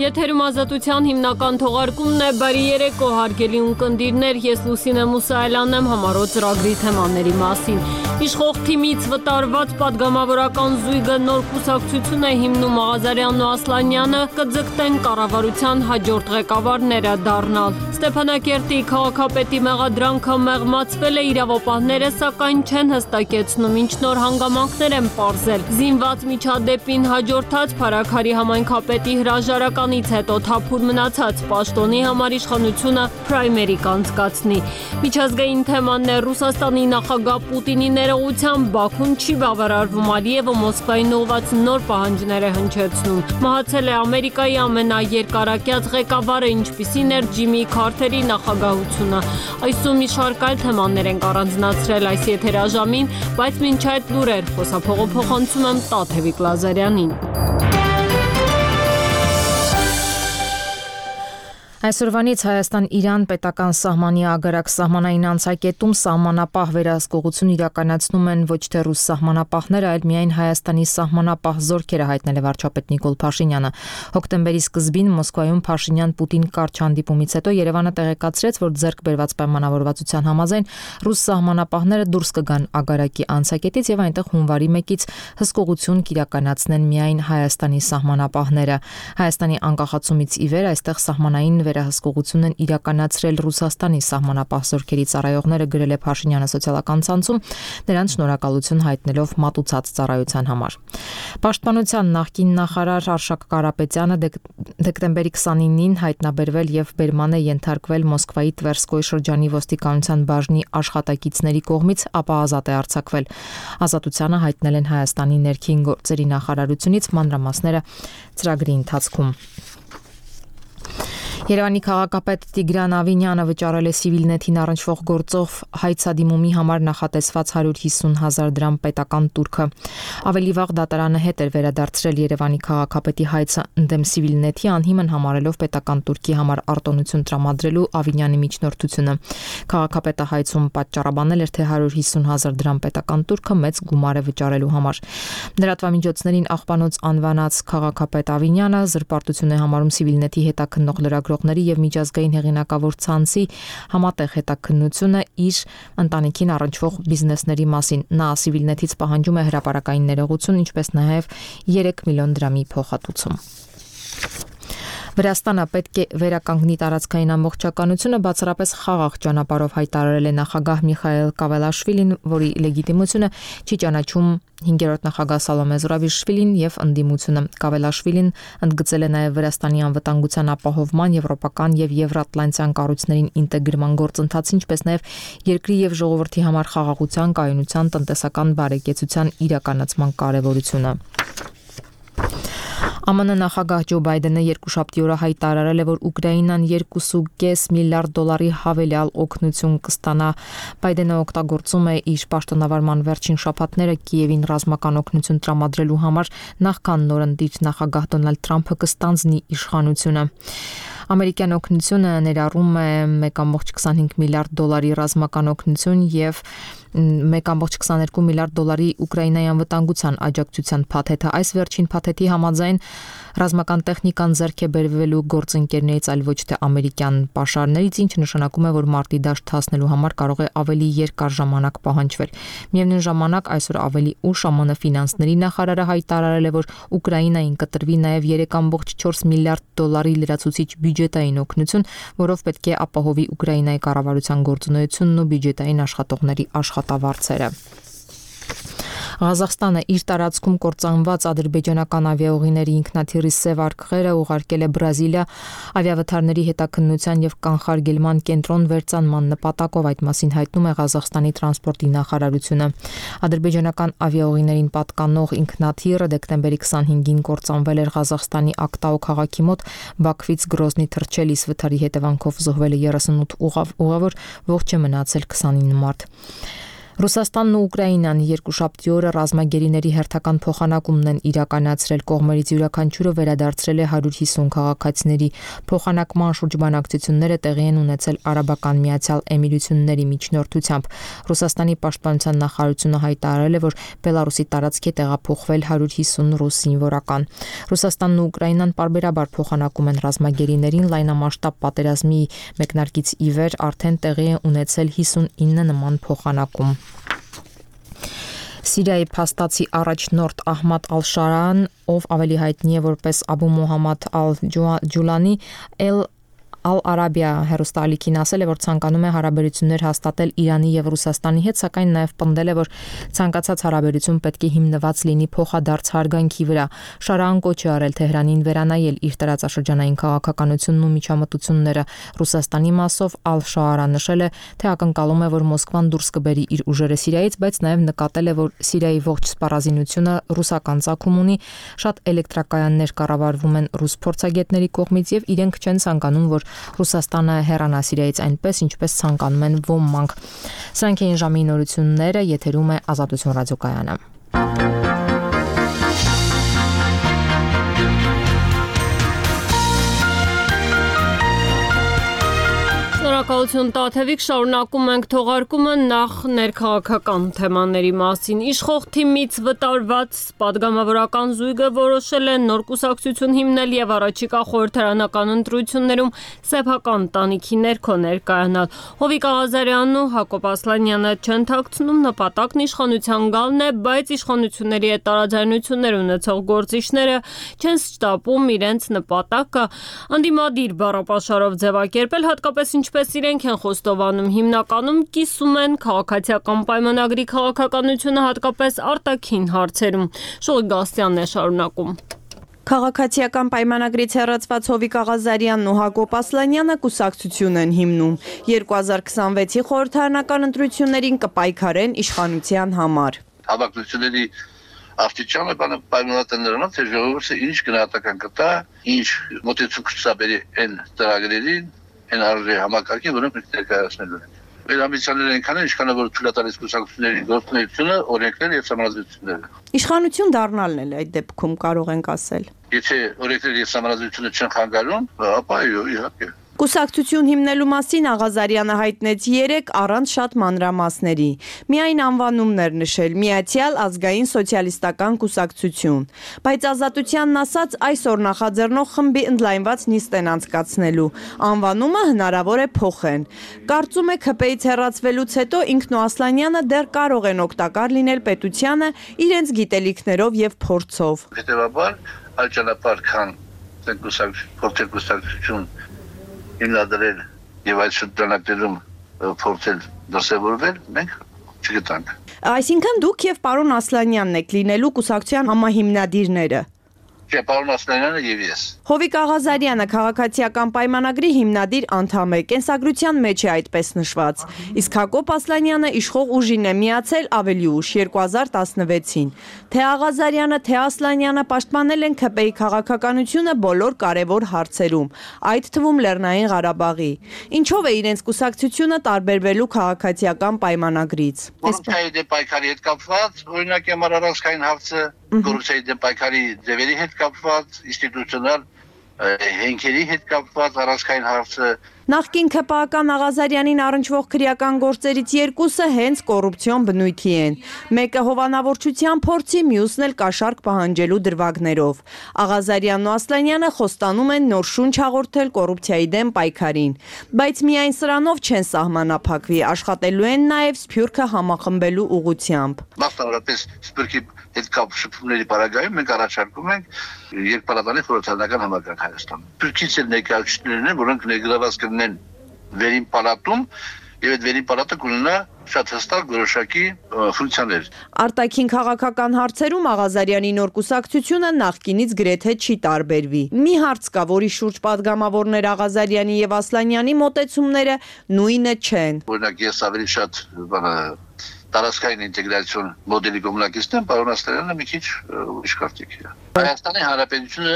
Եթերում ազատության հիմնական թողարկումն է, բարի երեկո հարգելի ունկնդիրներ, ես Լուսինե Մուսայելյանն եմ համառոտ ծրագրի թեմաների մասին։ Իշխող թիմից վտարված պատգամավորական զույգը նոր կուսակցություն է հիմնում, Աղազարյանն ու Ասլանյանը կձգտեն կառավարության հաջորդ ղեկավարները դառնալ։ Ստեփանակերտի քաղաքապետի մեղադրանքը մեղմացվել է, իրավապահները սակայն չեն հստակեցնում ինչ նոր հանգամանքներ են պարզել։ Զինված միջադեպին հաջորդած Փարաքարի համայնքապետի հրաժարականից հետո թափուր մնացած պաշտոնի համար իշխանությունը պրայմերի կանցկացնի։ Միջազգային թեման է Ռուսաստանի նախագահ Պուտինի ներողությամբ Բաքուն չի բավարարվում, Ալիևը Մոսկվային ուղղված նոր պահանջներ է հնչեցնում։ Մահացել է Ամերիկայի ամենաերկարակյաց ղեկավարը, ինչպիսին էր Ջիմի Քարթերի նախագահությունը։ Այսօր մի շարք այլ թեմաներ ենք առանձնացրել այս եթերաժամին, բայց մինչ այդ լուրեր խոսափողոցում եմ Տաթևիկ Լազարյանին։ Այսօրվանից Հայաստան-Իրան պետական սահմանի ագարակ սահմանային անցակետում սահմանապահ վերահսկողություն իրականացնում են ոչ թե ռուս սահմանապահները, այլ միայն Հայաստանի սահմանապահ զորքերը, հայտնել է վարչապետ Նիկոլ Փաշինյանը։ Հոկտեմբերի սկզբին Մոսկվայում Փաշինյան-Պուտին կարճ հանդիպումից հետո Երևանը տեղեկացրեց, որ ձեռք բերված պայմանավորվածության համաձայն ռուս սահմանապահները դուրս կգան ագարակի անցակետից եւ այնտեղ հունվարի 1-ից հսկողություն կիրականացնեն միայն Հայաստանի սահմանապահները։ Հայաստանի անկախացումից ի վեր այստեղ սահմանային վերահսկողություն են իրականացրել Ռուսաստանի սահմանապահ զորքերի ծառայողները, գրել է Փաշինյանը սոցիալական ցանցում, նրանց շնորհակալություն հայտնելով մատուցած ծառայության համար։ Պաշտպանության նախկին նախարար Արշակ Կարապետյանը դեկտեմբերի 29-ին հայտնաբերվել եւ բերման է ենթարկվել Մոսկվայի Տվերսկոյ շրջանի ոստիկանության բաժնի աշխատակիցների կողմից, ապա ազատ է արձակվել։ Ազատությանը հայտնել են Հայաստանի ներքին գործերի նախարարությունից, մանրամասները ծրագրի ընթացքում։ Երևանի քաղաքապետ Տիգրան Ավինյանը վճարել է Civilnet-ին առնչվող գործով հայցադիմումի համար նախատեսված 150,000 դրամ պետական տուրքը։ Ավելի վաղ դատարանը հետ էր վերադարձրել Երևանի քաղաքապետի հայցը ընդդեմ Civilnet-ի, անհիմն համարելով պետական տուրքի համար արտոնություն տրամադրելու Ավինյանի միջնորդությունը։ Քաղաքապետը հայցում պատճառաբանել էր, թե 150,000 դրամ պետական տուրքը մեծ գումար է վճարելու համար։ Լրատվամիջոցներին աղբանոց անվանած քաղաքապետ Ավինյանը զրպարտություն է համարում Civilnet-ի հետաքննող լրագրողների եւ միջազգային հեղինակավոր ցանցի համատեղ հետաքննությունը իր ընտանիքին առնչվող բիզնեսների մասին։ Նա Civilnet-ից պահանջում է հրապարակային ներողություն, ինչպես նաեւ 3 միլիոն դրամի փոխհատուցում։ Վրաստանը պետք է վերականգնի տարածքային ամբողջականությունը, բացառապես խաղաղ ճանապարհով հայտարարել է նախագահ Միխայել Կավելաշվիլին, որի լեգիտիմությունը չի ճանաչում 5-րդ նախագահ Սալոմե Զուրաբիշվիլին եւ ընդդիմությունը։ Կավելաշվիլին ընդգծել է նաեւ Վրաստանի անվտանգության ապահովման, եվրոպական եւ եվրատլանտյան կառույցներին ինտեգրման գործընթացը, ինչպես նաեւ երկրի եւ ժողովրդի համար խաղաղության, կայունության, տնտեսական բարեկեցության իրականացման կարեւորությունը։ ԱՄՆ նախագահ Ջո Բայդենը երկուշաբթի օրը հայտարարել է, որ Ուկրաինան 2.5 միլիարդ դոլարի հավելյալ օգնություն կստանա։ Բայդենը օգտագործում է իր պաշտոնավարման վերջին շաբաթները Կիևին ռազմական օգնություն տրամադրելու համար, նախքան նորընտիր նախագահ Դոնալդ Թրամփը կստանձնի իշխանությունը։ Ամերիկյան օգնությունը ներառում է 1.25 միլիարդ դոլարի ռազմական օգնություն եւ 1.22 միլիարդ դոլարի Ուկրաինայի անվտանգության աջակցության փաթեթը։ Այս վերջին փաթեթի համաձայն ռազմական տեխնիկան ձեռք է բերվելու գործընկերներից, այլ ոչ թե ամերիկյան պաշարներից, ինչը նշանակում է, որ մարտի դաշտ հասնելու համար կարող է ավելի երկար ժամանակ պահանջվել։ Միևնույն ժամանակ այսօր ավելի ուշ ԱՄՆ ֆինանսների նախարարը հայտարարել է, որ Ուկրաինային կտրվի նաև 3.4 միլիարդ դոլարի լրացուցիչ բյուջետային օգնություն, որով պետք է ապահովի Ուկրաինայի կառավարության գործունեությունն ու բյուջետային աշխատողների աշխատավարձերը։ Ղազախստանը իր տարածքում կործանված ադրբեջանական ավիաուղիների ինքնաթիռի սև արկղերը ուղարկել է Բրազիլիա ավիավթարների հետաքննության եւ կանխարգելման կենտրոն վերծանման նպատակով, այդ մասին հայտնում է Ղազախստանի տրանսպորտի նախարարությունը։ Ադրբեջանական ավիաուղիներին պատկանող ինքնաթիռը դեկտեմբերի 25-ին կործանվել էր Ղազախստանի Ակտաու քաղաքի մոտ Բաքվից Գրոզնի թռչելիս, վթարի հետևանքով զոհվել է 38 ուղավոր, ողջ է մնացել 29 մարդ։ Ռուսաստանն ու Ուկրաինան երկուշաբթի օրը ռազմագերիների հերթական փոխանակումն են իրականացրել, կողմերից յուրաքանչյուրը վերադարձրել է 150 քաղաքացիների։ Փոխանակման շրջբանակցությունները տեղի են ունեցել Արաբական Միացյալ Էմիրությունների միջնորդությամբ։ Ռուսաստանի պաշտպանության նախարարությունը հայտարարել է, որ Բելարուսի տարածք է տեղափոխվել 150 ռուս զինվորական։ Ռուսաստանն ու Ուկրաինան պարբերաբար փոխանակում են ռազմագերիներին, լայնամասշտաբ պատերազմի մեկնարկից ի վեր արդեն տեղի է ունեցել 59 նման փոխանակում։ Սիրիայի փաստացի առաջնորդ Ահմադ Ալ-Շարան, ով ավելի հայտնի է որպես Աբու Մոհամմադ Ալ-Ջուլանի, Ալ-Արաբիա հեռուստաալիքին ասել է, որ ցանկանում է հարաբերություններ հաստատել Իրանի եւ Ռուսաստանի հետ, սակայն նաեւ պնդել է, որ ցանկացած հարաբերություն պետք է հիմնված լինի փոխադարձ հարգանքի վրա։ Շարան կոչ է արել Թեհրանին վերանայել իր տարածաշրջանային քաղաքականությունն ու միջամտությունները։ Ռուսաստանի մասով Ալ-Շաարը նշել է, թե ակնկալում է, որ Մոսկվան դուրս կբերի իր ուժերը Սիրիայից, բայց նաեւ նկատել է, որ Սիրիայի ողջ սպառազինությունը ռուսական ծագում ունի, շատ էլեկտրակայաններ կառավարվում են ռուս փորձագետների կողմից եւ իրենք չեն ցանկանում, որ Ռուսաստանը հեռանա Սիրիայից այնպես, ինչպես ցանկանում են ոմանք։ Սրանք էին ժամի նորությունները, եթերում է Ազատություն ռադիոկայանը։ Շնորհակալություն Տաթևիկ, շարունակում ենք թողարկումը նախ ներքաղաքական թեմաների մասին։ Իշխող թիմից վտարված падգամավորական զույգը որոշել է նոր կուսակցություն հիմնել եւ առաջիկա խորհրդարանական ընտրություններում սեփական տանիքի ներքո ներկայանալ։ Հովիկ Աղազարյանն ու Հակոբ Ասլանյանը չեն թաքցնում, նպատակն իշխանության գալն է, բայց իշխանությունների հետ տարաձայնություններ ունեցող գործիչները չեն շտապում իրենց նպատակը անդիմադիր բառապաշարով ձևակերպել, հատկապես ինչպես իրենք են խոստովանում, հիմնականում կիսում են քաղաքացիական պայմանագրի քաղաքականությունը, հատկապես արտաքին հարցերում։ Շողի Գաստյանն է շարունակում։ Քաղաքացիական պայմանագրից հեռացված Հովիկ Աղազարյանն ու Հակոբ Ասլանյանը կուսակցություն են հիմնում։ 2026-ի խորհրդարանական ընտրություններին կպայքարեն իշխանության համար։ Հավաքությունների Աստիճանը պայմանավորված նրանով, թե ժողովուրդը ինչ գնահատական կտա, ինչ մոտեցում կցաբերի այն ծրագրերին, այն արժե համակարգին, որոնք մենք ներկայացնելու ենք։ Մեր ամբիցիաները այնքան են, ինչքան որ թույլատրելիս կուսակցությունների գործունեությունը, օրենքները եւ համաձայնությունները։ Իշխանություն դառնալն էլ այդ դեպքում կարող ենք ասել։ Եթե օրենքները եւ համաձայնությունը չեն խանգարում, ապա իհարկե։ Կուսակցություն հիմնելու մասին Աղազարյանը հայտնեց 3 առանց շատ մանրամասների։ Միայն անվանումներ նշել՝ Միացյալ ազգային սոցիալիստական կուսակցություն։ Բայց Ազատությանն ասաց, այսօր նախաձեռնող խմբի ընդլայնված նիստ են անցկացնելու։ Անվանումը հնարավոր է փոխեն։ Կարծում է ՔՊ-ից հեռացվելուց հետո ինքն ու Ասլանյանը դեռ կարող են օգտակար լինել պետությանը իրենց գիտելիքներով եւ փորձով։ Հետևաբար, այլ ճանապարհ քան կուսակցություն հիմնադրել եւ այդ շրջանակներում փորձել դասավորվել, մենք չգտանք։ Այսինքն դուք եւ պարոն Ասլանյանն եք լինելու կուսակցության համահիմնադիրները։ Չէ, պարոն Ասլանյանը եւ ես։ Հովիկ Աղազարյանը քաղաքացիական պայմանագրի հիմնադիր անդամ է, կենսագրության մեջ է այդպես նշված։ Իսկ Հակոբ Ասլանյանը իշխող ուժին է միացել ավելի ուշ 2016-ին։ Թե Աղազարյանը, թե Ասլանյանը պաշտպանել են ՔՊ-ի քաղաքականությունը բոլոր կարևոր հարցերում, այդ թվում Լեռնային Ղարաբաղի։ Ինչով է իրենց կուսակցությունը տարբերվելու քաղաքացիական պայմանագրից։ Կոռուպցիայի դեմ պայքարի հետ կապված, օրինակ առանցքային հարցը, կոռուպցիայի դեմ պայքարի ձևերի հետ կապված, ինստիտուցիոնալ հենքերի հետ կապված առանցքային հարցը։ Նախկին ՔՊ-ական Աղազարյանին առնչվող քրեական գործերից երկուսը հենց կոռուպցիոն բնույթի են։ Մեկը հովանավորչության փորձի, մյուսն էլ կաշառք պահանջելու դրվագներով։ Աղազարյանն ու Ասլանյանը խոստանում են նոր շունչ հաղորդել կոռուպցիայի դեմ պայքարին։ Բայց միայն սրանով չեն սահմանափակվի, աշխատելու են նաև Սփյուռքը համախմբելու ուղղությամբ։ Մասնավորապես Սփյուռքի հետ կապ շփումների պարագայում մենք առաջարկում ենք երկպալատանի խորհրդարանական համակարգ Հայաստանում։ Սփյուռքից էլ ներկայացուցիչներն են, որոնք ներգրաված կլինեն վերին պալատում եւ այդ վերին պալատը կունենա շատ հստակ որոշակի ֆունկցիաներ։ Արտաքին քաղաքական հարցերում Աղազարյանի նոր կուսակցությունը նախկինից գրեթե չի տարբերվի։ Մի հարց կա, որի շուրջ падգամավորներ Աղազարյանի եւ Ասլանյանի մոտեցումները նույնը չեն։ Օրինակ ես ավելի շատ տարածքային ինտեգրացիոն մոդելի կոմունակիստն եմ, պարոն Ասլանյանը մի քիչ ուրիշ կարգի է։ Հայաստանի Հանրապետությունը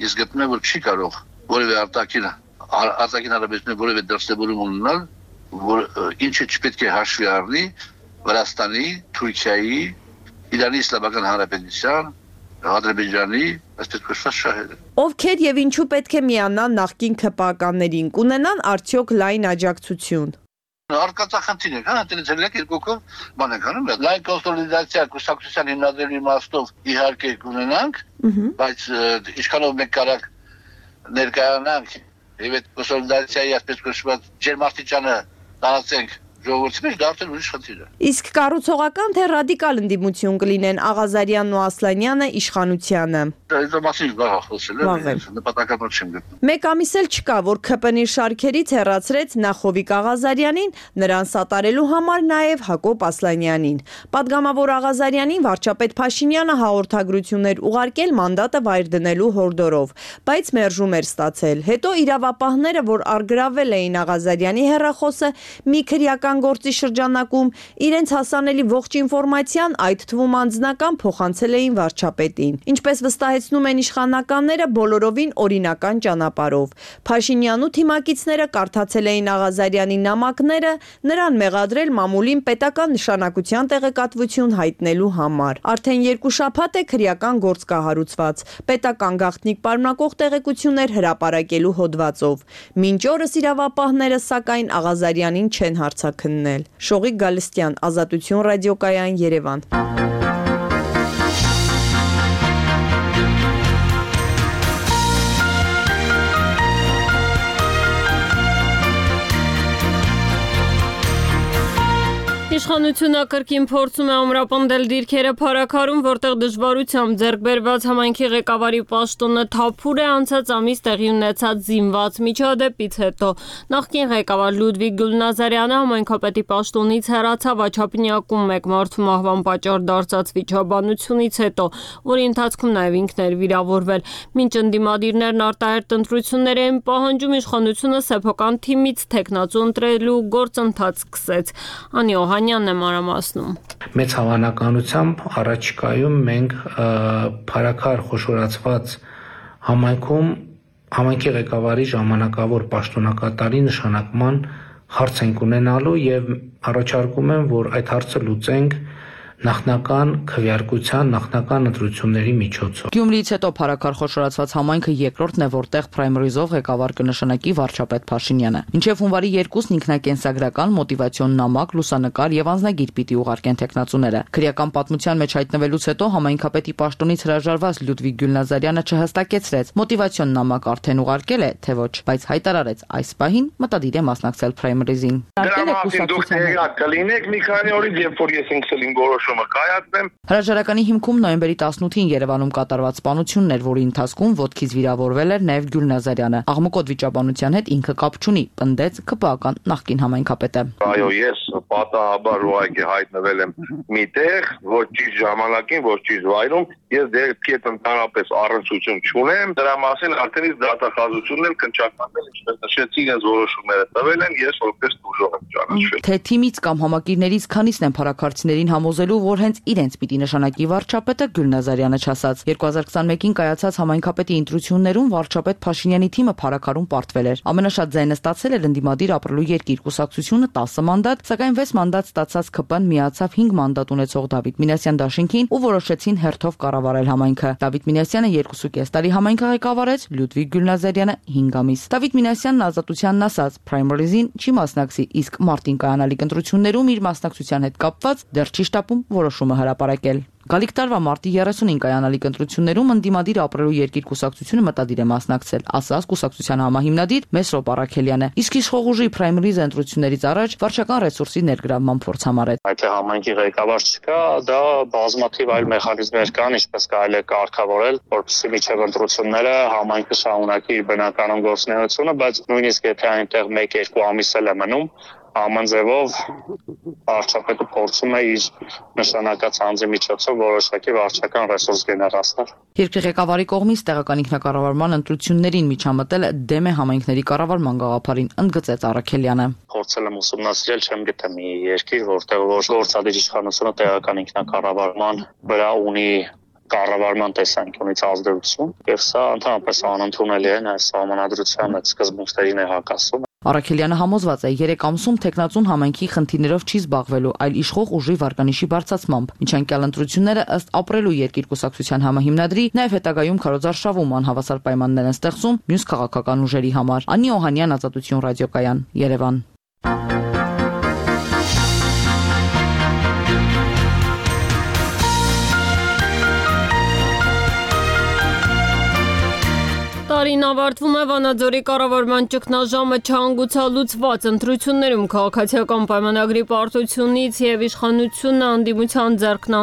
ես գտնում եմ, որ չի կարող որևէ արտաքին հարաբերություններ որևէ դրսևորում ունենալ, որ ինչը չպետք է հաշվի առնի Վրաստանի, Թուրքիայի, Իրանի Իսլամական Հանրապետության, Ադրբեջանի, այսպես կոչված շահերը։ Ովքեր եւ ինչու պետք է միանան նախկին ՔՊԱ-ականներին, կունենան արդյոք լայն աջակցություն։ Արկածախնդիր է, հա, դրանից էլ երկուքով բան ենք անում, լայն կոնսոլիդացիա կուսակցության հիմնադրելու իմաստով իհարկե կունենանք, բայց ինչքանով մենք կարանք ներկայանանք եւ այդ կոնսոլիդացիայի այսպես կոչված ջերմաստիճանը տարածենք ժողովրդի մեջ, դա արդեն ուրիշ խնդիր է։ Իսկ կառուցողական թե ռադիկալ ընդդիմություն կլինեն Աղազարյանն ու Ասլանյանը իշխանությանը։ Դա մասին վաղ խոսել է, նպատակաբար չեմ գտնում։ Մեկ ամիս էլ չկա, որ ՔՊՆ-ի շարքերից հեռացրեց Նախովիկ Աղազարյանին, նրան սատարելու համար նաև Հակոբ Ասլանյանին։ Պատգամավոր Աղազարյանին վարչապետ Փաշինյանը հաղորդագրություններ ուղարկել մանդատը վայր դնելու հորդորով, բայց մերժում էր ստացել։ Հետո իրավապահները, որ առգրավել էին Աղազարյանի հեռախոսը, մի քրեական գործի շրջանակում իրենց հասանելի ողջ ինֆորմացիան, այդ թվում անձնական, փոխանցել էին վարչապետին։ Ինչպես վստահեցնում են իշխանականները, բոլորովին օրինական ճանապարհով։ Փաշինյանն ու թիմակիցները կարդացել էին Աղազարյանի նամակները, նրան մեղադրել մամուլին պետական նշանակության տեղեկատվություն հայտնելու համար։ Արդեն 2 շաբաթ է քրեական գործ կահարուցված, պետական գաղտնիք պարունակող տեղեկություններ հրապարակելու հոդվածով։ Մինչ օրս իրավապահները սակայն Աղազարյանին չեն հարցաքննել։ Շողիկ Գալստյան, Ազատություն ռադիոկայան, Երևան։ Իշխանությունը կրկին փորձում է ամրապնդել դիրքերը փարաքարում, որտեղ դժվարությամբ ձեռք բերված համայնքի ղեկավարի պաշտոնը թափուր է անցած ամիս տեղի ունեցած զինված միջադեպից հետո։ Նախկին ղեկավար Լյուդվիգ Գյուլնազարյանը համայնքապետի պաշտոնից հեռացավ Աչափնյակում մեկ մարդու մահվան պատճառ դարձած վիճաբանությունից հետո, որի ընթացքում նաև ինքն էր վիրավորվել։ Մինչ ընդդիմադիրներն արտահերթ ընտրություններ են պահանջում, իշխանությունը սեփական թիմից թեկնածու ընտրելու գործընթաց սկսեց։ Անի Օհանյանն է մանրամասնում։ Մեծ հավանականությամբ առաջիկայում մենք փարաքար խոշորացված համայնքում համայնքի ղեկավարի ժամանակավոր պաշտոնակատարի նշանակման հարց ենք ունենալու եւ առաջարկում եմ, որ այդ հարցը լուծենք նախնական քվեարկության, նախնական ընտրությունների միջոցով։ Գյումրիից հետո փարաքար խոշորացված համայնքը երկրորդն է, որտեղ պրայմերիզով ղեկավար կնշանակի վարչապետ Փաշինյանը։ Մինչև հունվարի 2-ն ինքնակենսագրական, մոտիվացիոն նամակ, լուսանկար եւ անձնագիր պիտի ուղարկեն տեխնացուները։ Քրեական պատմության մեջ հայտնվելուց հետո համայնքապետի պաշտոնից հրաժարված Լյուդվիգ Գյուլնազարյանը չհստակեցրեց մոտիվացիոն նամակ արդեն ուղարկել է, թե ոչ, բայց հայտարարեց այս պահին մտադիր է մասնակցել պրայմերիզին։ Հրաժարականի հիմքում նոյեմբերի 18-ին Երևանում կատարված սպանությունն էր, որի ընթացքում ոտքից վիրավորվել էր նաև Գյուլնազարյանը։ Աղմուկոտ վիճաբանության հետ ինքը կապ չունի, պնդեց ԿՊԱ-ական նախկին համայնքապետը։ Այո, ես պատահաբար ուղղակի հայտնվել եմ միտեղ, ոչ ճիշտ ժամանակին, ոչ ճիշտ վայրում, ես դեպքետ ընդհանրապես առնչություն չունեմ, դրա մասին արդեն դատախազությունն էլ քննչականել, ինչպես նշեցի, իրենց որոշումները տվել են, ես որպես դժոխ եմ ճանաչվել։ Թե թիմից կամ համակիրներից քանիսն են փարաքարցիներին համոզելու, որ հենց իրենց պիտի նշանակի վարչապետը, Գյուլնազարյանը չասաց։ 2021-ին կայացած համայնքապետի ընտրություններում վարչապետ Փաշինյանի թիմը փարաքարում պարտվել էր։ Ամենաշատ ձայնը ստացել էր ընդդիմադիր ապրելու երկիր կուսակցությունը 10 մանդատ, սակայն 6 մանդատ ստացած ԿՊ-ն միացավ 5 մանդատ ունեցող Դավիթ Մինասյան դաշինքին ու որոշեցին հերթով կառավարել համայնքը։ Դավիթ Մինասյանը 2.5 տարի համայնքը ղեկավարեց, Լյուդվիգ Գյուլնազարյանը 5 ամիս։ Դավիթ Մինասյանն Ազատությանն ասաց, պրայմերիզին չի մասնակցի, իսկ մարտին կայանալիք ընտրություններում իր մասնակցության հետ կապված դեռ չի շտապում որոշումը հրապարակել։ Գալիք տարվա մարտի 30-ին կայանալիք ընտրություններում ընդդիմադիր ապրելու երկիր կուսակցությունը մտադիր է մասնակցել, ասաց կուսակցության համահիմնադիր Մեսրոպ Առաքելյանը։ Իսկ իշխող ուժի պրայմերիզ ընտրություններից առաջ վարչական ռեսուրսի ներգրավման փորձ համարեց։ Այդ համայնքի ղեկավար չկա, դա բազմաթիվ այլ մեխանիզմներ կան, ինչպես կարելի է կարգավորել, որպեսզի միջև ընտրությունները համայնքը շարունակի իր բնականon գործունեությունը, բայց նույնիսկ եթե այնտեղ 1-2 ամիս էլ է մնում, ամեն ձևով վարչապետը փորձում է իր նշանակած անձի միջոցով որոշակի վարչական ռեսուրս գեներացնել։ Երկրի ղեկավարի կողմից տեղական ինքնակառավարման ընտրություններին միջամտել դեմ է համայնքների կառավարման գաղափարին, ընդգծեց Առաքելյանը։ Փորձել եմ ուսումնասիրել, չեմ գտել մի երկիր, որտեղ գործադիր իշխանությունը տեղական ինքնակառավարման վրա ունի կառավարման տեսանկյունից ազդեցություն, եւ սա ընդհանրապես անընդունելի է, այս համանadrության այդ սկզբունքներին է հակասում։ Արաքելյանը համոզված է 3 ամսում տեխնացուն համայնքի խնդիրներով չի զբաղվելու, այլ իշխող ուժի վարկանիշի բարձրացմամբ։ Միջանկյալ ընտրությունները ըստ ապրելու երկիր կուսակցության համահիմնադրի նաև հետագայում քարոզարշավում անհավասար պայմաններ են ստեղծում մյուս քաղաքական ուժերի համար։ Անի Օհանյան, Ազատություն ռադիոկայան, Երևան։ Տարին ավարտվում է Վանաձորի կառավարման ճգնաժամը չհանգուցալուծված ընտրություններում քաղաքացիական պայմանագրի պարտությունից եւ իշխանությունը անդիմության ձեռքն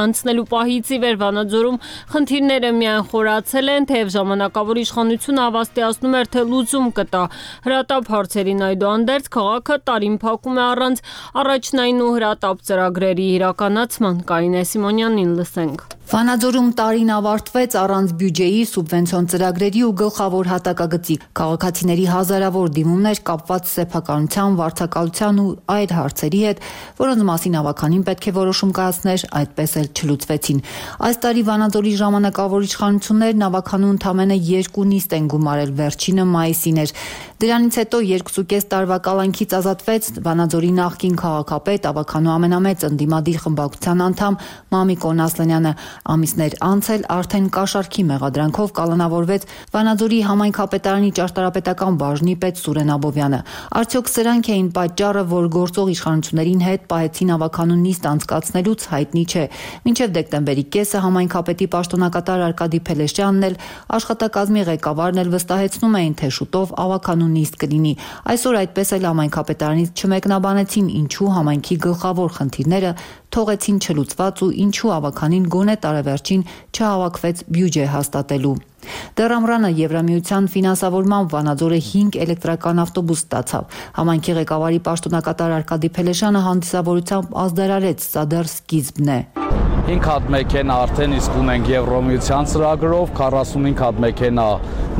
անցնելու պահից ի վեր Վանաձորում խնդիրները միայն խորացել են, թեև ժամանակավոր իշխանությունը հավաստիացնում էր, թե լուծում կտա հրատապ հարցերին, այդուհանդերձ քաղաքը տարին փակում է առանց առաջնային ու հրատապ ծրագրերի իրականացման։ Կարինե Սիմոնյանին լսենք։ Վանաձորում տարին ավարտվեց առանց բյուջեի, սուբվենցիոն ծրագրերի ու գլխավոր հատակագծի։ Քաղաքացիների հազարավոր դիմումներ կապված սեփականության, վարձակալության ու այլ հարցերի հետ, որոնց մասին ավականին պետք է որոշում կայացներ, այդպես էլ չլուծվեցին։ Այս տարի Վանաձորի ժամանակավոր իշխանություններն ավականու ընդամենը 2 նիստ են գումարել, վերջինը մայիսին էր։ Դրանից հետո 2.5 տարվա կալանքից ազատվեց Վանաձորի նախկին քաղաքապետ, ավականու ամենամեծ ընդդիմադիր խմբակցության անդամ Մամիկ Օնասլանյանը։ Ամիսներ անց էլ արդեն կաշառքի մեղադրանքով կալանավորվեց Վանաձորի համայնքապետարանի ճարտարապետական բաժնի պետ Սուրեն Աբովյանը։ Արդյոք սրանք էին պատճառը, որ գործող իշխանություններին հետ պահեցին ավականու նիստ անցկացնելուց, հայտնի չէ։ Մինչև դեկտեմբերի կեսը համայնքապետի պաշտոնակատար Արկադի Փելեշյանն էլ աշխատակազմի ղեկավարն էլ վստահեցնում էին, թե շուտով ավականու նիստ կլինի։ Այսօր այդպես էլ համայնքապետարանից չմեկնաբանեցին, ինչու համայնքի գլխավոր խնդիրները թողեցին չլուծված ու ինչու ավականին գոնե տարեվերջին չհավաքվեց բյուջե հաստատելու։ Դեռ ամռանը Եվրամիության ֆինանսավորմամբ Վանաձորը 5 էլեկտրական ավտոբուս ստացավ։ Համայնքի ղեկավարի պաշտոնակատար Արկադի Փելեշյանը հանդիսավորությամբ ազդարարեց, սա դեռ սկիզբն է։ 5 հատ մեքենա արդեն իսկ ունենք Եվրամիության ծրագրով, 45 հատ մեքենա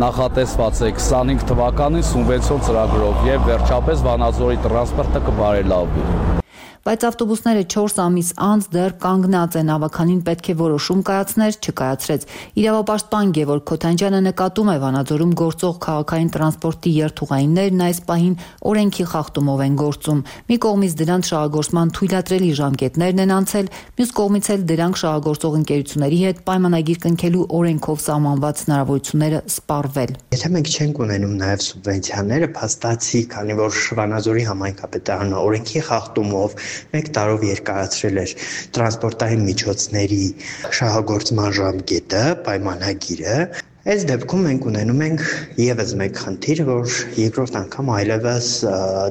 նախատեսված է 25 թվականին սուբվենցիոն ծրագրով եւ վերջապես Վանաձորի տրանսպորտը կբարելավի։ Բայց ավտոբուսները 4 ամիս անց դեռ կանգնած են, ավականին պետք է որոշում կայացներ, չկայացրեց։ Իրավապաշտպան Գևորգ Քոթանջյանը նկատում է Վանաձորում գործող քաղաքային տրանսպորտի երթուղայիններն այս պահին օրենքի խախտումով են գործում։ Մի կողմից դրանց շահագործման թույլատրելի ժամկետներն են անցել, մյուս կողմից էլ դրանք շահագործող ընկերությունների հետ պայմանագիր կնքելու օրենքով սահմանված հնարավորությունները սպառվել։ Եթե մենք չենք ունենում նաև սուբվենցիաները, փաստացի, քանի որ Վանաձորի համայնքապետարանը օրենքի խախտումով 1 տարով երկարացրել էր տրանսպորտային միջոցների շահագործման ժամկետը, պայմանագիրը, այս դեպքում մենք ունենում ենք եւս մեկ խնդիր, որ երկրորդ անգամ այլևս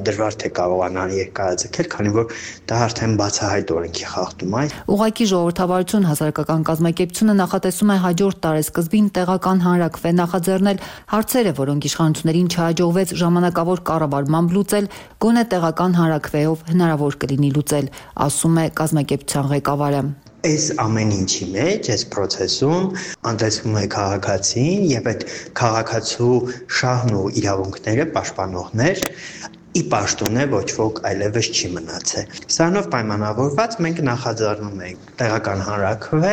դժվար թե կարողանան երկարաձգել, քանի որ դա արդեն բացահայտ օրենքի խախտում է։ Ուղղակի ժողովրդավարություն հասարակական կազմակերպությունը նախատեսում է հաջորդ տարեսկզբին տեղական հանրաքվե նախաձեռնել հարցերը, որոնք իշխանություններին չհաջողվեց ժամանակավոր կառավարմամբ լուծել, գոնե տեղական հանրաքվեով հնարավոր կլինի լուծել, ասում է կազմակերպության ղեկավարը։ Այս ամեն ինչի մեջ, այս process-ում անտեսվում է քաղաքացին եւ այդ քաղաքացու շահն ու իրավունքները պաշտպանողներ ի պաշտոն է ոչ ոք այլևս չի մնացել։ Սրանով պայմանավորված մենք նախաձեռնում ենք տեղական հանրաքվե,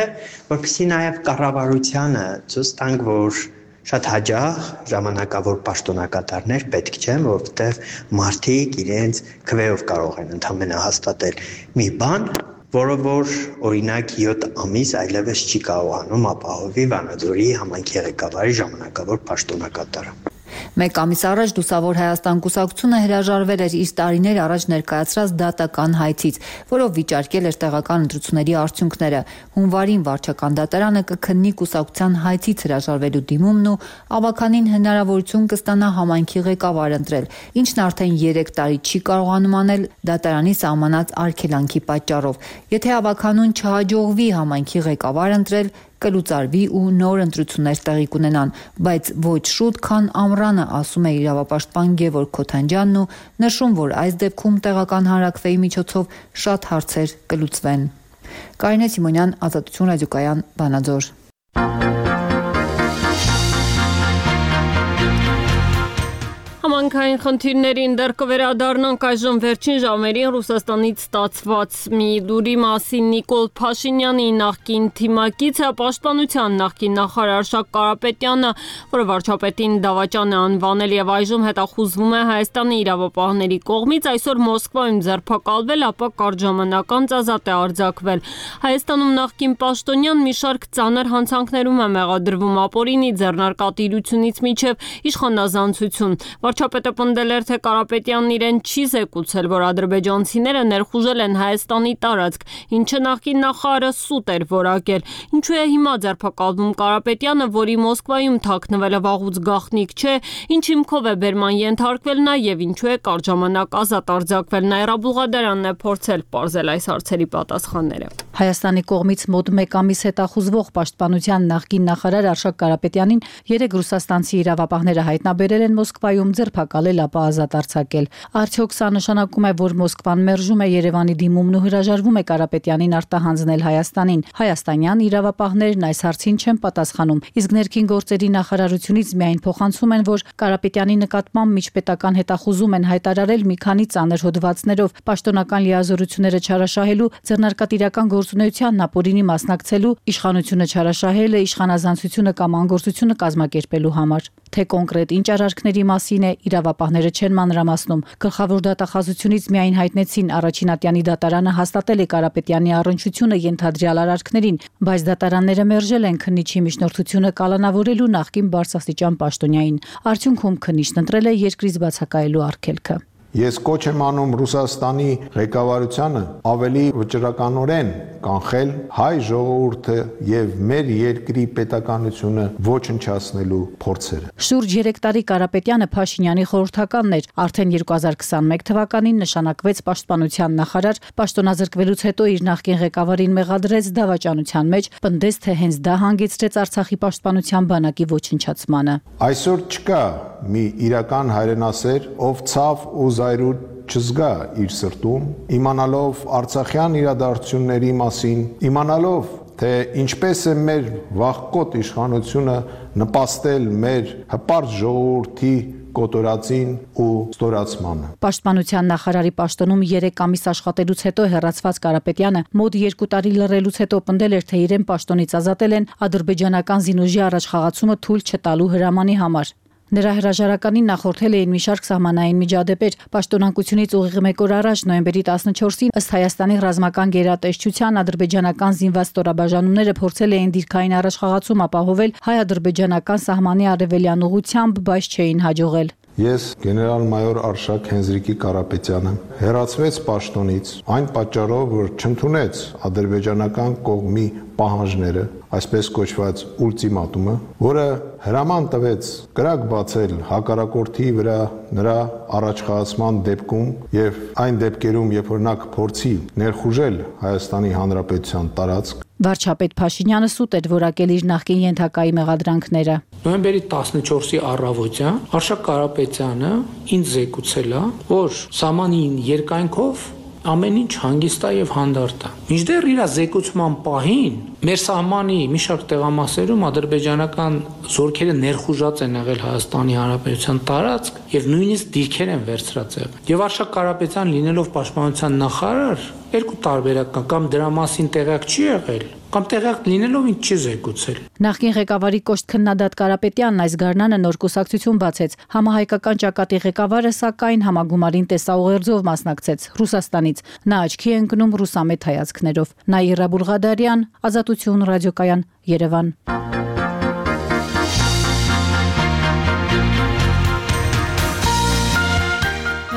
որպեսզի նաեւ կառավարությանը ցույց տանք, որ շատ հաջող ժամանակավոր պաշտոնակատարներ պետք չեն, որովհետեւ մարդիկ իրենց քվեով կարող են ընդհանրապես հաստատել մի բան, որը որ օրինակ 7 ամիս այլևս չի կարողանում ապահովի Վանաձորի համայնքի ղեկավարի ժամանակավոր պաշտոնակատարը։ Մեկ ամիս առաջ Լուսավոր Հայաստան կուսակցությունը հրաժարվել էր իր տարիներ առաջ ներկայացրած դատական հայցից, որով վիճարկել էր տեղական ընտրությունների արդյունքները։ Հունվարին վարչական դատարանը կքննի կուսակցության հայցից հրաժարվելու դիմումն ու ավականին հնարավորություն կստանա համայնքի ղեկավար ընտրել, ինչն արդեն 3 տարի չի կարողանում անել դատարանի սահմանած արգելանքի պատճառով։ Եթե ավականուն չհաջողվի համայնքի ղեկավար ընտրել, կլուծարվի ու նոր ընտրություններ տեղի կունենան, բայց ոչ շուտ, քան ամռանը, ասում է իրավապաշտպան Գևորգ Քոթանջյանն ու նշում, որ այս դեպքում տեղական հանրաքվեի միջոցով շատ հարցեր կլուծվեն։ Կարինե Սիմոնյան, Ազատություն ռադիոկայան, Վանաձոր։ Համանքային խնդիրներին դեռ կվերադառնանք այժմ վերջին ժամերին Ռուսաստանից ստացված մի լուրի մասին Նիկոլ Փաշինյանի նախկին թիմակիցը պաշտպանության նախկին նախարար Արշակ Կարապետյանը, որը վարչապետին դավաճան է անվանել եւ այժմ հետախուզվում է Հայաստանի իրավապահների կողմից, այսօր Մոսկվայում ձերբակալվել, ապա կարճ ժամանակ անց ազատ է արձակվել։ Հայաստանում նախկին պաշտոնյան մի շարք ծանր հանցանքներում է մեղադրվում ապօրինի ձեռնարկատիրությունից մինչև իշխանազանցություն։ Վարչապետը պնդել էր, թե Կարապետյանն իրեն չի զեկուցել, որ ադրբեջանցիները ներխուժել են Հայաստանի տարածք, ինչը նախկին նախարարը սուտ էր որակել։ Ինչու է հիմա ձերբակալվում Կարապետյանը, որի Մոսկվայում թաքնվելը վաղուց գաղտնիք չէ, ինչ հիմքով է բերման ենթարկվել նա եւ ինչու է կարճ ժամանակ ազատ արձակվել։ Նաիրա Բուղադարյանն է փորձել պարզել այս հարցերի պատասխանները։ Հայաստանի կողմից մոտ 1 ամիս հետախուզվող պաշտպանության նախկին նախարար Արշակ Կարապետյանին 3 ռուսաստանցի իրավապահները հայտնաբերել են Մոսկվայում, ձերբակալել, ապա ազատ արձակել։ Արդյոք սա նշանակում է, որ Մոսկվան մերժում է Երևանի դիմումն ու հրաժարվում է Կարապետյանին արտահանձնել Հայաստանին։ Հայաստանյան իրավապահներն այս հարցին չեն պատասխանում, իսկ ներքին գործերի նախարարությունից միայն փոխանցում են, որ Կարապետյանի նկատմամբ միջպետական հետախուզում են հայտարարել մի քանի ծանր հոդվածներով, պաշտոնական լիազորությունները չարաշահելու, ձեռնարկատիրական գործունեությանն ապօրինի մասնակցելու, իշխանությունը չարաշահելը, իշխանազանցությունը կամ անգործությունը կազմակերպելու համար։ Թե կոնկրետ ինչ արարքների մասին է, իրավապահները չեն մանրամասնում։ Գլխավոր դատախազությունից միայն հայտնեցին առաջին ատյանի դատարանը հաստատել է Կարապետյանի առնչությունը ենթադրյալ արարքներին, բայց դատարանները մերժել են քննիչի միջնորդությունը կալանավորելու նախկին բարձրաստիճան պաշտոնյային։ Արդյունքում քննիչն ընտրել է երկրից բացակայելու արգելքը։ Ես կոչ եմ անում Ռուսաստանի ղեկավարությանը ավելի վճռականորեն կանխել հայ ժողովուրդը եւ մեր երկրի պետականությունը ոչնչացնելու փորձերը։ Շուրջ 3 տարի Կարապետյանը Փաշինյանի խորհրդականն էր, արդեն 2021 թվականին նշանակվեց պաշտպանության նախարար, պաշտոնազրկվելուց հետո իր նախկին ղեկավարին մեղադրեց դավաճանության մեջ, պնդեց, թե հենց դա հանգեցրեց Արցախի պաշտպանության բանակի ոչնչացմանը։ Այսօր չկա մի իրական հայրենասեր, ով ցավ ու զայրույթ չզգա իր սրտում, իմանալով արցախյան իրադարձությունների մասին, իմանալով, թե ինչպես է մեր վաղկոտ իշխանությունը նպաստել մեր հպարտ ժողովրդի կոտորածին ու ստորացմանը։ Պաշտպանության նախարարի պաշտոնում 3 ամիս աշխատելուց հետո հեռացված Կարապետյանը մոտ 2 տարի լռելուց հետո պնդել էր, թե իրեն պաշտոնից ազատել են ադրբեջանական զինուժի առաջխաղացումը թույլ չտալու հրամանի համար։ Նրա հրաժարականին նախորդել էին մի շարք սահմանային միջադեպեր։ Պաշտոնանկությունից ուղիղ 1 օր առաջ նոյեմբերի 14-ին ըստ Հայաստանի ռազմական գերատեսչության ադրբեջանական զինված ստորաբաժանումները փորձել էին դիրքային առաջխաղացում ապահովել հայ-ադրբեջանական սահմանի արևելյան ուղությամբ, բայց չէին հաջողել։ Ես գեներալ-մայոր Արշակ Հենզրիկի Կարապետյանը հեռացվեց պաշտոնից այն պատճառով, որ չընդունեց ադրբեջանական կողմի պահանջները, այսպես կոչված ուլտիմատումը, որը հրաման տվեց կրակ բացել հակառակորդի վրա նրա առաջխաղացման դեպքում եւ այն դեպքերում, երբ որ նա կփորձի ներխուժել Հայաստանի Հանրապետության տարածք։ Վարչապետ Փաշինյանը սուտ էր որակել իր նախկին ենթակայի մեղադրանքները։ Նոյեմբերի 14-ի առավոտյան Արշակ Կարապետյանը ինձ զեկուցել է, որ սահմանին երկայնքով ամեն ինչ հանգիստ է եւ հանդարտ է։ Մինչդեռ իր զեկուցման պահին մեր սահմանի մի շարք տեղամասերում ադրբեջանական զորքերը ներխուժած են եղել Հայաստանի Հանրապետության տարածք եւ նույնիսկ դիրքեր են վերցրած եղել։ Եվ Արշակ Կարապետյան լինելով պաշտպանության նախարար, երկու տարբերակ կա, կամ դրա մասին տեղյակ չի եղել, կամ տեղյակ լինելով ինչ չի զեկուցել։ Նախկին ղեկավարի կոշտ քննադատ Կարապետյանն այս գարնանը նոր կուսակցություն բացեց։ Համահայկական ճակատի ղեկավարը սակայն համագումարին տեսաուղերձով մասնակցեց Ռուսաստանից։ Նա աչքի է ընկնում ռուսամետ հայացքներով։ Նաիրա Բուղադարյան, Ազատություն ռադիոկայան, Երևան։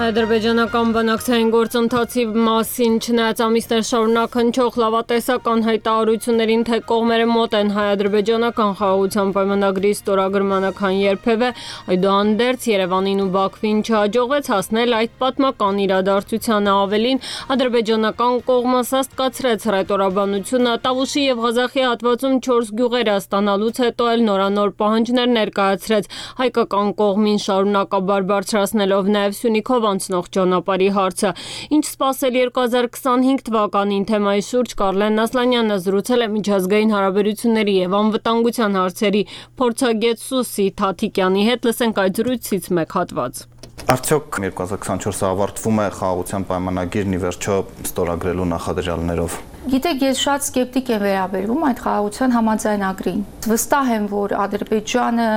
Ադրբեջանական բանակցային գործընթացի մասին չնայած ամիսներ շարունակ հնչող լավատեսական հայտարարություններին, թե կողմերը մոտ են հայ-ադրբեջանական խաղաղության պայմանագրի ստորագրմանը, քան երբևէ, այդուհանդերձ Երևանին ու Բաքվին չհաջողվեց հասնել այդ պատմական իրադարձությանը։ Ավելին, ադրբեջանական կողմը սաստկացրեց հռետորաբանությունը, Տավուշի եւ Ղազախի հատվածում 4 գյուղերը ստանալուց հետո էլ նորանոր պահանջներ ներկայացրեց, հայկական կողմին շարունակաբար բարձրացնելով նաեւ Սյունիքով անցնող ճանապարհի հարցը։ Ինչ սպասել 2025 թվականին թեմայի շուրջ Կարլեն Ասլանյանը զրուցել է միջազգային հարաբերությունների եւ անվտանգության հարցերի փորձագետ Սուսի Թաթիկյանի հետ։ Լսենք այդ զրույցից մեկ հատված։ Արդյոք 2024-ը ավարտվում է խաղաղության պայմանագիրն ի վերջո ստորագրելու նախադրյալներով։ Գիտեք, ես շատ սկեպտիկ եմ վերաբերվում այդ խաղաղության համաձայնագրին։ Վստահ եմ, որ Ադրբեջանը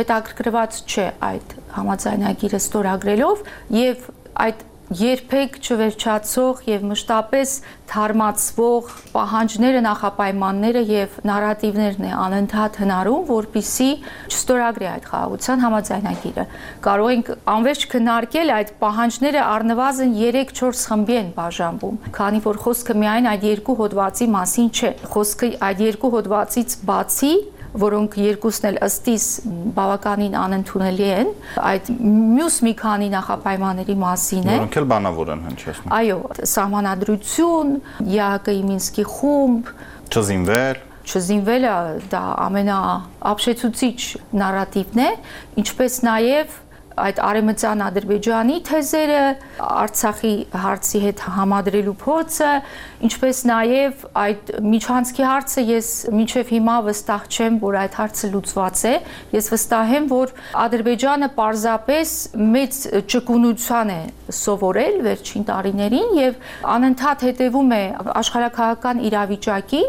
հետաքրքրված չէ այդ համաձայնագիրը ստորագրելով եւ այդ երբեք չվերջացող եւ մշտապես թարմացվող պահանջները, նախապայմանները եւ նարատիվներն է անընդհատ հնարում, որպիսի չստորագրի այդ խաղաղության համաձայնագիրը։ Կարող ենք անվերջ քննարկել այդ պահանջները առնվազն 3-4 խմբի են բաժանվում, քանի որ խոսքը միայն այդ երկու հոդվածի մասին չէ։ Խոսքը այդ երկու հոդվածից բացի, որոնք երկուսն էլ ըստիս բավականին անընդունելի են, այդ մյուս մի քանի նախապայմանների մասին է։ Որոնք էլ բանավոր են հնչեցնում։ Այո, սահմանադրություն, ԵԱՀԿ-ի Մինսկի խումբ, չզինվելը դա ամենաապշեցուցիչ նարատիվն է, ինչպես նաև այդ արևմտյան Ադրբեջանի թեզերը, Արցախի հարցի հետ համադրելու փորձը, ինչպես նաև այդ միջանցքի հարցը, ես մինչև հիմա վստահ չեմ, որ այդ հարցը լուծված է։ Ես վստահ եմ, որ Ադրբեջանը պարզապես մեծ ճկունության է սովորել վերջին տարիներին եւ անընդհատ հետևում է աշխարհաքաղաքական իրավիճակին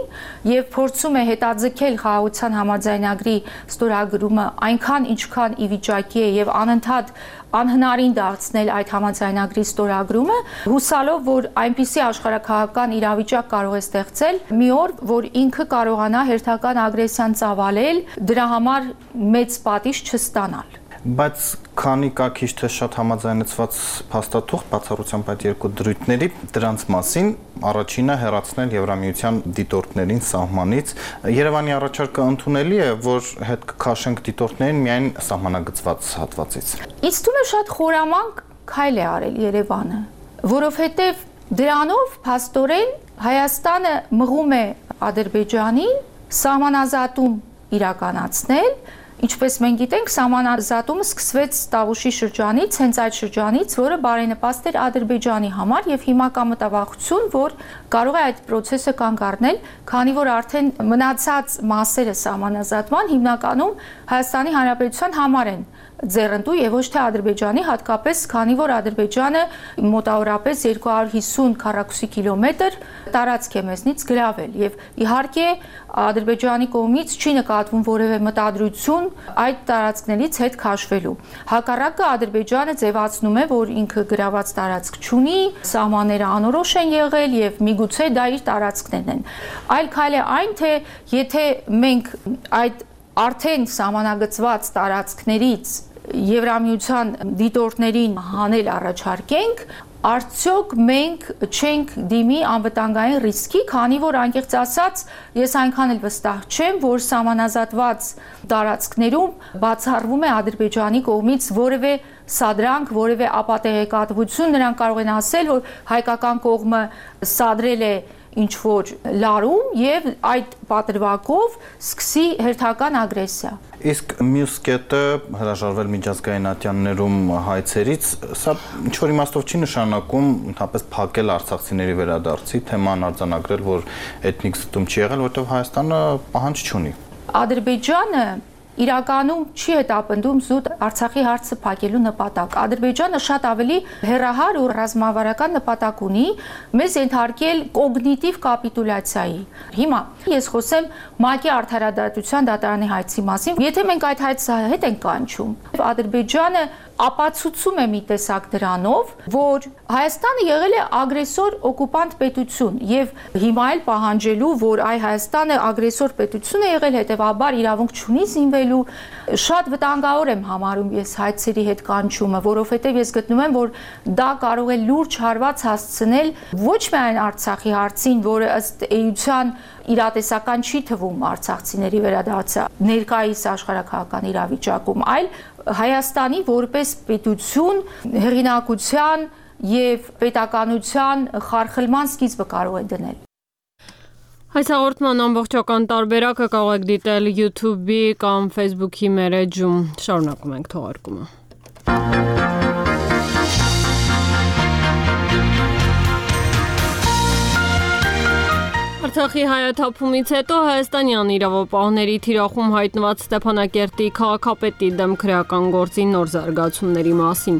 եւ փորձում է հետաձգել խաղաղության համաձայնագրի ստորագրումը այնքան, ինչքան ի վիճակի է եւ անընդհատ անհնարին դարձնել այդ համաձայնագրի ստորագրումը, հուսալով, որ այնպիսի աշխարհաքաղաքական իրավիճակ կարող է ստեղծել մի օր, որ ինքը կարողանա հերթական ագրեսիան ծավալել, դրա համար մեծ պատիժ չստանալ։ Բայց քանի կա քիչ թե շատ համաձայնեցված փաստաթուղթ բացառությամբ այդ երկու դրույթների, դրանց մասին առաջինը հեռացնել Եվրամիության դիտորդներին սահմանից։ Երևանի առաջարկը ընդունելի է, որ հետ կքաշենք դիտորդներին միայն սահմանագծված հատվածից։ Ինձ թվում է շատ խորամանկ քայլ է արել Երևանը, որովհետև դրանով փաստորեն Հայաստանը մղում է Ադրբեջանին սահմանազատում իրականացնել։ Ինչպես մենք գիտենք, սահմանազատումը սկսվեց Տավուշի շրջանից, հենց այդ շրջանից, որը բարենպաստ էր Ադրբեջանի համար եւ հիմա կա մտավախություն, որ կարող է այդ process-ը կանգ առնել, քանի որ արդեն մնացած մասերը սահմանազատման հիմնականում Հայաստանի Հանրապետության համար են ձեռնտու եւ ոչ թե Ադրբեջանի, հատկապես քանի որ Ադրբեջանը մոտավորապես 250 քառակուսի կիլոմետր տարածք է մեզնից գրավել եւ իհարկե Ադրբեջանի կողմից չի նկատվում որևէ մտադրություն այդ տարածքներից հետ քաշվելու։ Հակառակը Ադրբեջանը ձևացնում է, որ ինքը գրաված տարածք չունի, սահմանները անորոշ են եղել եւ միգուցե դա իր տարածքներն են։ Այլ քայլ է այն, թե եթե մենք այդ արդեն սահմանագծված տարածքներից Եվրամիության դիտորդներին հանել առաջարկենք, արդյոք մենք չենք դիմի անվտանգային ռիսկի, քանի որ անկեղծ ասած, ես այնքան էլ վստահ չեմ, որ սահմանազատված տարածքներում բացառվում է Ադրբեջանի կողմից որևէ սադրանք, որևէ ապատեղեկատվություն, նրանք կարող են ասել, որ հայկական կողմը սադրել է ինչ որ լարում եւ այդ պատրվակով սկսի հերթական ագրեսիա։ Իսկ մյուս կետը հրաժարվել միջազգային ատյաններում հայցերից, սա ինչ որ իմաստով չի նշանակում ընդհանրապես փակել արցախցիների վերադարձի թեման արձանագրել, որ էթնիկ զտում չի եղել, որովհետեւ Հայաստանը պահանջ չունի։ Ադրբեջանը իրականում չի հետապնդում զուտ Արցախի հարցը փակելու նպատակ։ Ադրբեջանը շատ ավելի հեռահար ու ռազմավարական նպատակ ունի մեզ ենթարկել կոգնիտիվ կապիտուլյացիայի։ Հիմա ես խոսեմ ՄԱԿ-ի արդարադատության դատարանի հայցի մասին։ Եթե մենք այդ հայցը հետ ենք կանչում, Ադրբեջանը ապացուցում է մի տեսակ դրանով, որ Հայաստանը եղել է ագրեսոր օկուպանտ պետություն եւ հիմա էլ պահանջելու, որ այ Հայաստանը ագրեսոր պետություն է եղել, հետեւաբար իրավունք չունի զինվելու, շատ վտանգավոր եմ համարում ես հայցերի հետ կանչումը, որովհետեւ ես գտնում եմ, որ դա կարող է լուրջ հարված հասցնել ոչ միայն Արցախի հարցին, որը ըստ էության իրատեսական չի թվում արցախցիների վերադարձը ներկայիս աշխարհաքաղաքական իրավիճակում, այլ Հայաստանի որպես պետություն հեղինակության եւ պետականության խարխլման սկիզբը կարող է դնել։ Այս հաղորդման ամբողջական տարբերակը կարող եք դիտել YouTube-ի կամ Facebook-ի մեր էջում։ Շարունակում ենք թողարկումը։ Արցախի հայաթափումից հետո հայաստանյան իրավապահների թիրախում հայտնված Ստեփանակերտի քաղաքապետի դեմ քրեական գործի նոր զարգացումների մասին։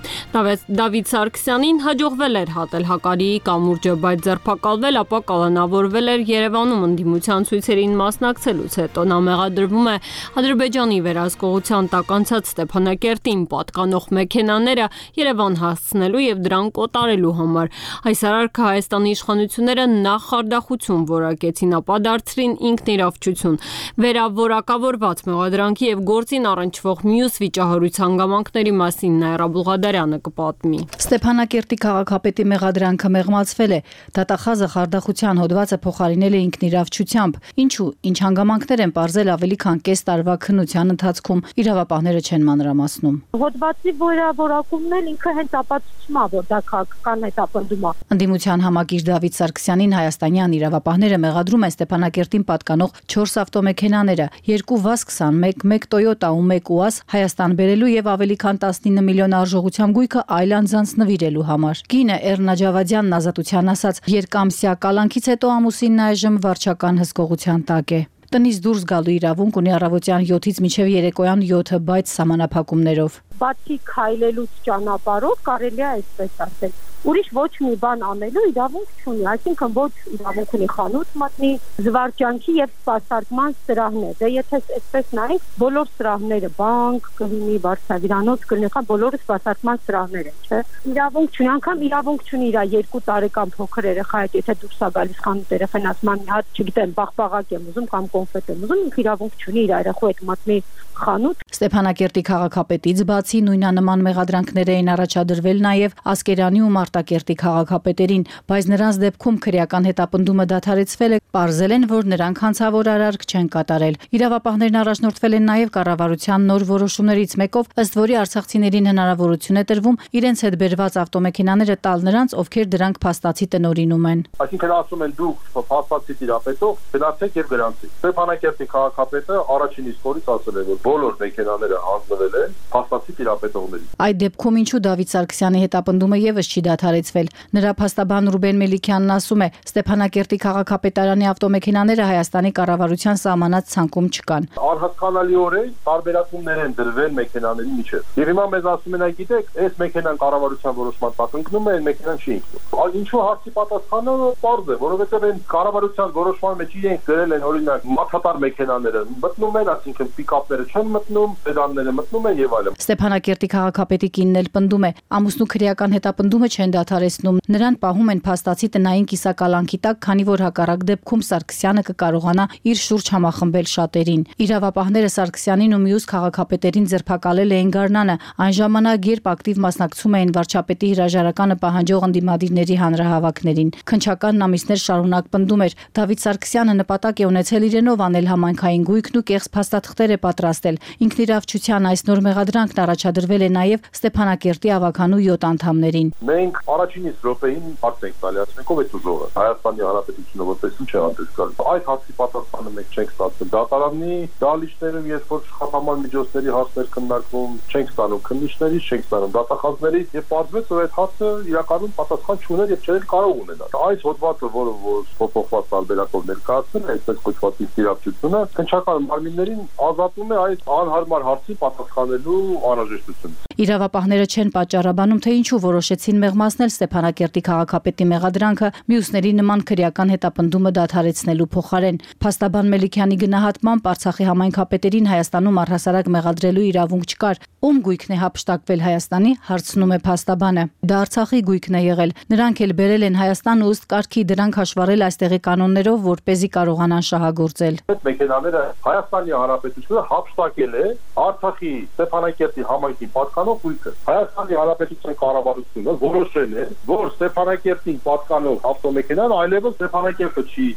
Դավիթ Սարգսյանին հաջողվել էր հատել Հակարիի կամուրջը, բայց ձերբակալվել, ապա կալանավորվել էր Երևանում ընդդիմության ցույցերին մասնակցելուց հետո։ Նա մեղադրվում է Ադրբեջանի վերահսկողության տակ անցած Ստեփանակերտին պատկանող մեքենաները Երևան հասցնելու եւ դրանք կոտարելու համար։ Այս արարքը Հայաստանի իշխանությունները նախ խարդախություն որակեցին, ապա դարձրին ինքնիրավչություն։ Վերավորակավորված մեղադրանքի եւ գործին առնչվող մյուս վիճահարույց հանգամանքների մասին Նաիրա Բուղադարյանը կպատմի։ Ստեփանակերտի քաղաքապետի մեղադրանքը մեղմացվել է, դատախազը խարդախության հոդվածը փոխարինել է ինքնիրավչությամբ, ինչու ինչ հանգամանքներ են պարզել ավելի քան կես տարվա քննության ընթացքում, իրավապահները չեն մանրամասնում։ Հոդվածի վերավորակումն էլ ինքը հենց ապացուցում է, որ դա քաղաքական հետապնդում է։ Ընդդիմության համակիր Դավիթ Սարգսյանին հայաստանյան իրավապահները մեղադրում են Ստեփանակերտին պատկանող 4 ավտոմեքենաները, 2 ՎԱԶ-21, 1 Toyota ու 1 ՈՒԱԶ Հայաստան բերելու եւ ավելի քան 19 միլիոն արժողությամբ գույքը այլ անձանց նվիրելու համար։ Կինը Էռնա Ջավադյանն ազատության ասաց, երկամսյա կալանքից հետո ամուսինն այժմ վարչական հսկողության տակ է։ Տնից դուրս գալու իրավունք ունի առավոտյան 7-ից մինչև երեկոյան 7, բայց սահմանափակումներով։ Բացի քայլելուց ճանապարհով կարելի է այսպես ասել, ուրիշ ոչ մի բան անելու իրավունք չունի, այսինքն ոչ իրավունք ունի խանութ մտնի, զվարճանքի եւ սպասարկման սրահներ։ Դե եթե այսպես նայենք, բոլոր սրահները, բանկ, կլինի, վարչավիրանոց, կլինի, բոլորը սպասարկման սրահներ են, չէ՞։ Իրավունք չունի, անգամ իրավունք չունի իր 2 տարեկան փոքր երեխա հետ, եթե դուրս է գալիս խանութ երեխան ասում մի հատ, չգիտեմ, բաղբաղակ եմ ուզում կամ կոնֆետ եմ ուզում, ինքը իրավունք չունի իր երեխու հետ մտնի խանութ։ Ստեփանակերտի քաղաքապետից բացի նույնանման մեղադրանքներ էին առաջադրվել նաև Ասկերանի ու Մարտակերտի քաղաքապետերին, բայց նրանց դեպքում քրեական հետապնդումը դադարեցվել է, պարզել են, որ նրանք հանցավոր արարք չեն կատարել։ Իրավապահներն առաջնորդվել են նաև կառավարության նոր որոշումներից մեկով, ըստ որի արցախցիներին հնարավորություն է տրվում իրենց հետ բերված ավտոմեքենաները տալ նրանց, ովքեր դրանք փաստացի տնօրինում են։ Այսինքն ասում են դուք փաստացի տիրապետող գնացեք եւ գրանցեք։ Ստեփանակերտի քաղաքապետը առաջին իսկ օրից ասել է, որ բոլոր մեքենաները հանձնվել են փաստացի տիրապետողներին։ Այդ դեպքում ինչու Դավիթ Սարգսյանի հետապնդումը եւս չի դադարեցվել։ Նրա փաստաբան Ռուբեն Մելիքյանն ասում է, Ստեփանակերտի քաղաքապետարանի ավտոմեքենաները Հայաստանի կառավարության սահմանած ցանկում չկան։ Անհասկանալիորեն տարբերակումներ են դրվել մեքենաների միջև։ Եվ հիմա մեզ ասում են, գիտեք, այս մեքենան կառավարության որոշման տակ ընկնում է, այն մեքենան չի ընկնում։ Ինչու հարցի պատասխանը պարզ է, որովհետև այն կառավարության որոշման մեջ իրենք գրել են, օրինակ, մաթաթար մեքենաները մտնում են, այսինքն պիկապները չեն մտնում, սեդանները մտնում են եւ այլն։ Ստեփանակերտի քաղաքապետի կինն էլ պնդում է, ամուսնու քրեական հետապնդումը չեն դադարեցնում։ Նրան պահում են փաստացի տնային կիսակալանքի տակ, քանի որ հակառակ դեպքում Սարգսյանը կկարողանա իր շուրջ համախմբել շատերին։ Իրավապահները Սարգսյանին ու մյուս քաղաքապետերին ձերբակալել էին Գառնանը, այն ժամանակ, երբ ակտիվ մասնակցում էին վարչապետի հրաժարականը պահանջող ընդդիմադիրների հանրահավաքներին։ Քննչականն ամիսներ շարունակ պնդում էր, Դավիթ Սարգսյանը նպատակ է ունեցել իրենով անել համայնքային գույքն ու կեղծ փաստաթղթեր է պատրաստել։ Ինքնիրավչության այս նոր մեղադրանքն առաջադրվել է նաև Ստեփանակերտի ավականու 7 անդամներին։ Մենք առաջին իսկ րոպեին հարց ենք տալի, ասենք ով է ուժողը։ Հայաստանի Հանրապետությունը որպես ինչ է անտեսկալ։ Այդ հարցի պատասխանը մենք չենք ստացել։ Դատարանի դալիչներում, երբ որ շփման միջոցների հարցեր քննարկվում, չենք ստանում քննիչներից, չենք ստանում դատախազներից եւ պարզվեց, որ այդ հարցը իրականում պատասխան չուներ եւ չէր կարող ունենալ։ Այս հոդվածը, որը փոփոխված տարբերակով ներկայացնել է, այսպես կոչված ինքնիրավչությունը, քննչական մարմիններին ազատում է այդ անհարմար հարցի պատասխանելու անհրաժեշտությունից։ Իրավապահները չեն պատճառաբանում, թե ինչու որոշեցին մեղմացնել Ստեփանակերտի քաղաքապետի մեղադրանքը մյուսների նման քրեական հետապնդումը դադարեցնելու փոխարեն։ Փաստաբան Մելիքյանի գնահատմամբ Արցախի համայնքապետերին Հայաստանում առհասարակ մեղադրելու իրավունք չկար։ Ում գույքն է հափշտակվել Հայաստանի, հարցնում է փաստաբանը։ Դա Արցախի գույքն է եղել։ Նրանք էլ բերել են Հայաստան ու ըստ կարգի դրանք հաշվառել այստեղի կանոններով, որպեսզի կարողանան շահագործել։ Այդ մեքենաները Հայաստանի Հանրապետությունը հափշտակել է Արցախի Ստեփանակերտի համայնքի պատկանող գույքը։ Հայաստանի Հանրապետության կառավարությունը որոշել է, որ Ստեփանակերտին պատկանող ավտոմեքենան այլևս Ստեփանակերտը չի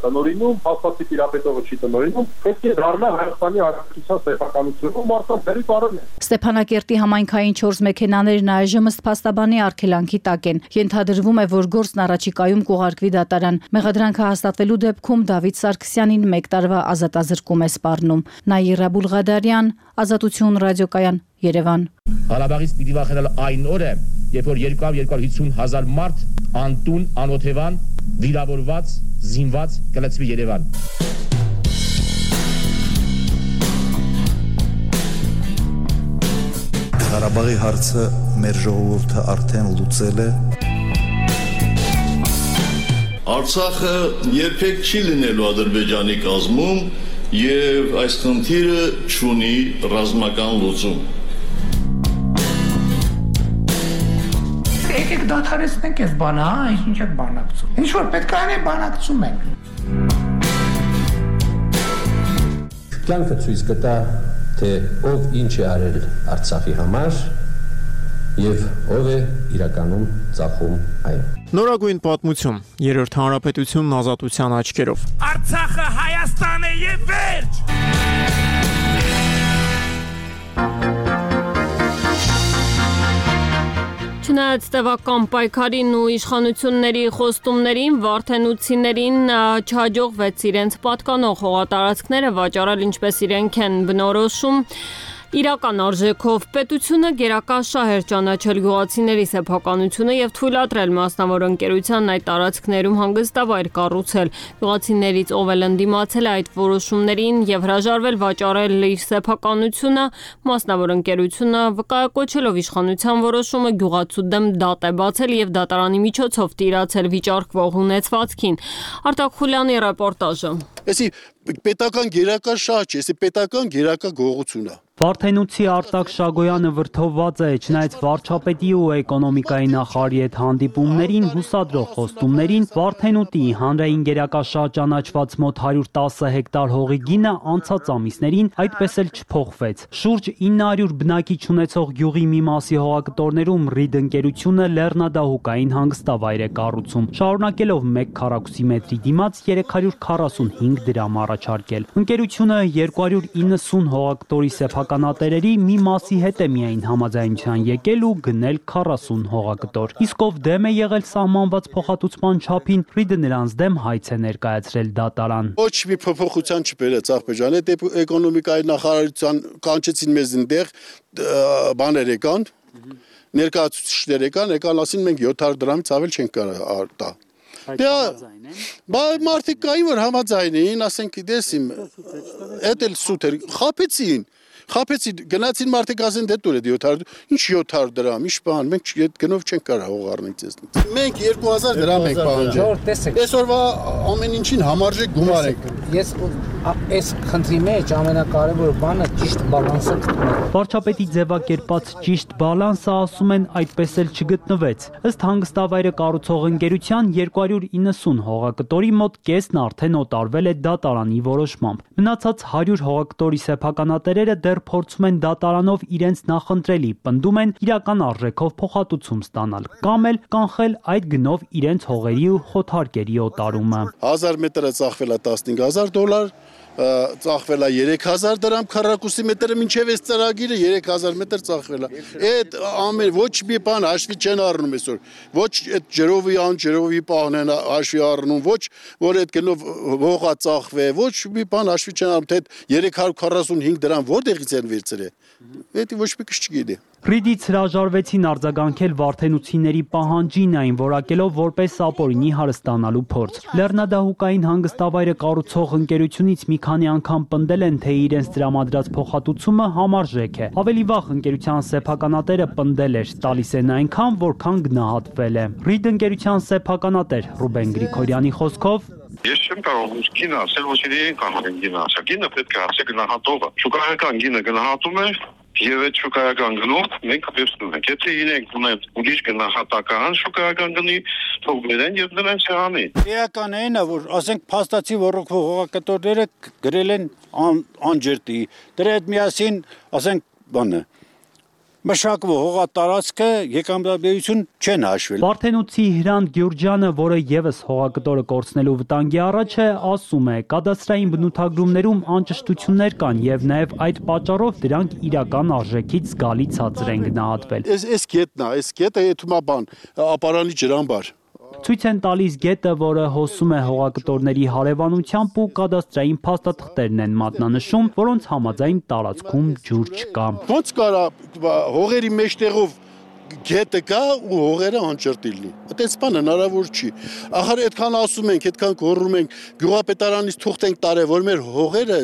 տնօրինում, փաստացի տիրապետողը չի տնօրինում, պետք է դառնա Հայաստանի Հանրապետության սեփականությունը մարդկանց դերի բարոն է։ Ստեփանակերտի համայնքային 4 մեքենաներն այժմ ըստ փաստաբանի արգելանքի տակ են։ Ենթադրվում է, որ գործն առաջիկայում կուղարկվի դատարան։ Մեղադրանքը հաստատվելու դեպքում Դավիթ Սարգսյանին 1 տարվա ազատազրկում է սպառնում։ Նաիրա Բուղադարյան, Ազատություն ռադիոկայան, Երևան։ Ղարաբաղից պիտի վախենալ այն օրը, երբ որ 200-250 հազար մարդ անտուն, անօթևան վիրավորված, զինված կլցվի Երևան։ Ղարաբաղի հարցը մեր ժողովուրդը արդեն լուծել է։ Արցախը երբեք չի լինելու Ադրբեջանի կազմում եւ այս խնդիրը չունի ռազմական լուծում։ Եկեք դադարեցնենք այս բանը, ինչ եք բանակցում։ Ինչ որ պետք է անենք, բանակցում ենք։ Կյանքը ցույց կտա, թե ով ինչ է արել Արցախի համար եւ ով է իրականում ծախում այն։ Նորագույն պատմություն, երրորդ հանրապետությունն ազատության աչքերով։ Արցախը Հայաստան է եւ վերջ։ Չնայած տևական պայքարին ու իշխանությունների խոստումներին վարդենուցիներին չհաջողվեց իրենց պատկանող հողատարածքները վաճառել ինչպես իրենք են բնորոշում իրական արժեքով պետությունը գերակա շահ էր ճանաչել գյուղացիների սեփականությունը եւ թույլատրել մասնավոր ընկերության այդ տարածքներում հանգստավայր կառուցել գյուղացիներից ով էլ ընդդիմացել այդ որոշումներին եւ հրաժարվել վաճառել իր սեփականությունը մասնավոր ընկերությունը վկայակոչելով իշխանության որոշումը գյուղացու դեմ դատ է բացել եւ դատարանի միջոցով տիրացել վիճարկվող ունեցվածքին Արտակ Խուլյանի ռեպորտաժը Էսի պետական գերակա շահ չէ, էսի պետական գերակա գողություն է Վարդենուցի Արտակ Շագոյանը վրդովված է, չնայած վարչապետի ու էկոնոմիկայի նախարարի հետ հանդիպումներին, հուսադրող խոստումներին, Վարդենուտի հանրային գերակաշահ ճանաչված մոտ 110 հեկտար հողի գինը անցած ամիսներին այդպես էլ չփոխվեց։ Շուրջ 900 բնակիչ ունեցող գյուղի մի մասի հողակտորներում Ռիդ ընկերությունը լեռնադահուկային հանգստավայր է կառուցում, շարունակելով 1 քառակուսի մետրի դիմաց 345 դրամ առաջարկել։ Ընկերությունը 290 հողակտորի սեփականատերերի մի մասի հետ է միայն համաձայնության եկել ու գնել 40 հողակտոր։ Իսկ ով դեմ է եղել սահմանված փոխհատուցման չափին, Ռիդը նրանց դեմ հայց է ներկայացրել դատարան։ Ոչ մի փոփոխության չբերեց Աղբեջանը, դեպի էկոնոմիկայի նախարարության կանչեցին մեզ այնտեղ բաներ եկան, ներկայացուցիչներ եկան, ասին մենք 700 դրամից ավել չենք կարող տա։ Բայց մարդիկ կային որ համաձայն էին, ասենք դեսիմ, էդ էլ սուտ էր, խափեցին, գնացին մարդիկ ասեն դե տուր է 700, ինչ 700 դրամ, ինչ բան, մենք այդ գնով չենք կարող հող առնել ձեզնից։ Մենք 2000 դրամ ենք պահանջել։ Այսօրվա ամեն ինչին համարժեք գումար ենք։ Ես այս խնդրի մեջ ամենակարևոր բանը ճիշտ բալանսը գտնել։ Վարչապետի ձևակերպած ճիշտ բալանսը ասում են այդպես էլ չգտնվեց։ Ըստ հանգստավայրը կառուցող ընկերության 290 հողակտորի մոտ կեսն արդեն օտարվել է դատարանի որոշմամբ։ Մնացած 100 հողակտորի սեփականատերերը դեռ փորձում են դատարանով իրենց նախընտրելի, պնդում են իրական արժեքով փոխհատուցում ստանալ, կամ էլ կանխել այդ գնով իրենց հողերի ու խոթարկերի օտարումը։ 1000 մետրը ծախվել է $15000, ծախվել է 3000 դրամ քառակուսի մետրը մինչև այս ծրագիրը 3000 մետր ծախվել է։ Այդ ամեն ոչ մի բան հաշվի չեն առնում այսօր։ Ոչ այդ ջրովի անջրովի պահն են հաշվի առնում, ոչ որ այդ գնով հողա ծախվե, ոչ մի բան հաշվի չեն առնում, թե 345 դրամ որտեղից են վերցրել։ Դա ոչ մի քիչ չգիտի։ Ռիդից հրաժարվեցին արձագանքել վարդենուցիների պահանջին, այն որակելով որպես ապօրինի հարստանալու փորձ։ Լեռնադահուկային հանգստավայրը կառուցող ընկերությունից մի քանի անգամ պնդել են, թե իրենց տրամադրած փոխհատուցումը համարժեք է։ Ավելի վաղ ընկերության սեփականատերը պնդել էր, տալիս են այնքան, որքան գնահատվել է։ Ռիդ ընկերության սեփականատեր Ռուբեն Գրիգորյանի խոսքով Ես չեմ կարող գինը ասել, ոչ իրեն կարող են գինը ասել։ Գինը պետք է ասել գնահատողը։ Շուկայական գինը գնահատում է եւ այդ շուկայական գնով մենք վերցնում ենք։ Եթե իրենք ունեն ուրիշ գնահատական շուկայական գնի, թող բերեն եւ դրանց հանի։ Էական այն է, որ ասենք փաստացի ռոռոկվող հողակտորները գրել են անջրտի։ Դրա հետ միասին, ասենք, բանը մշակվող հողատարածքը եկամտաբերություն չեն հաշվել։ Վարդենուցի Հրանտ Գյուրջյանը, որը եւս հողակտորը կորցնելու վտանգի առաջ է, ասում է, կադաստրային բնութագրումներում անճշտություններ կան եւ նաեւ այդ պատճառով դրանք իրական արժեքից զգալի ցածր են գնահատվել։ Այս գետն է, այս գետը եթումա բան, ապարանի ջրամբար։ Ցույց են տալիս գետը, որը հոսում է հողակտորների հարևանությամբ ու կադաստրային փաստաթղթերն են մատնանշում, որոնց համաձայն տարածքում ջուր չկա։ Ոնց կարա հողերի մեջտեղով գետը կա ու հողերը անջրտի լինի։ Այդպես բան հնարավոր չի։ Ախր այդքան ասում ենք, այդքան գոռում ենք, գյուղապետարանից թուղթ ենք տարել, որ մեր հողերը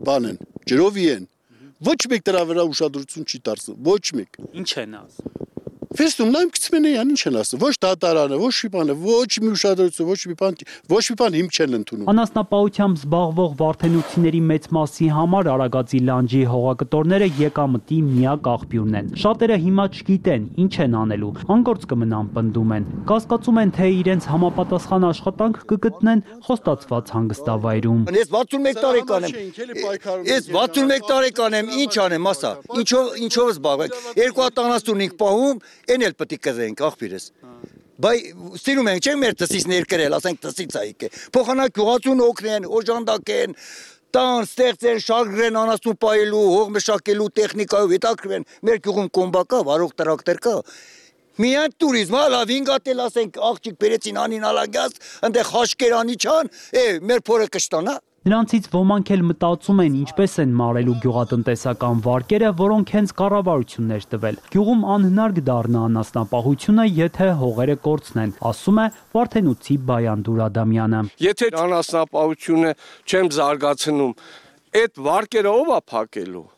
բան են, ջրովի են։ Ոչ մեկ դրա վրա ուշադրություն չի դարձնում, ոչ մեկ։ Ինչ են ասում։ Ֆեստում նայում գցմեն են, ինչ են ասում, ոչ դատարանը, ոչ մի բանը, ոչ մի ուշադրություն, ոչ մի բան հիմք չեն ընդունում։ Անասնապահությամբ զբաղվող վարդենուցիների մեծ մասի համար Արագածի լանջի հողակտորները եկամտի միակ աղբյուրն են։ Շատերը հիմա չգիտեն ինչ են անելու, անգործ կմնան պնդում են։ Կասկածում են, թե իրենց համապատասխան աշխատանք կգտնեն խոստացված հանգստավայրում։ Ես 61 տարեկան եմ։ Ես 61 տարեկան եմ, ինչ անեմ, ասա։ Ինչով զբաղվեք։ 275 պահում Են էլ պտի կզենք աղբիրս, բայ ստիրում ենք չենք մեր տսից ներկրել, ասենք տսից այք է, փոխանակ գյուղացուն օգնեն, օժանդակեն, տան, ստեղծեն, շարգրեն անասուն պայելու, հող մշակելու տեխնիկայով հետաքրվեն, մեր գյուղում կոմբա կա, վարող տրակտոր կա, միայն տուրիզմ, լավ ինգատել ասենք աղջիկ բերեցին անին ալագյաս, ընդեղ խաշկերանի չան, մեր փորը կշտանա։ Նրանցից ոմանք էլ մտածում են ինչպես են մարելու գյուղատնտեսական վարկերը, որոնք հենց կառավարություններ տվել։ Գյուղում անհնար կդառնա անասնապահությունը, եթե հողերը կորցնեն, ասում է Վարդենուցի Բայանդուր Ադամյանը։ Եթե անասնապահությունը չեմ զարգացնում, այդ վարկերը ով է փակելու։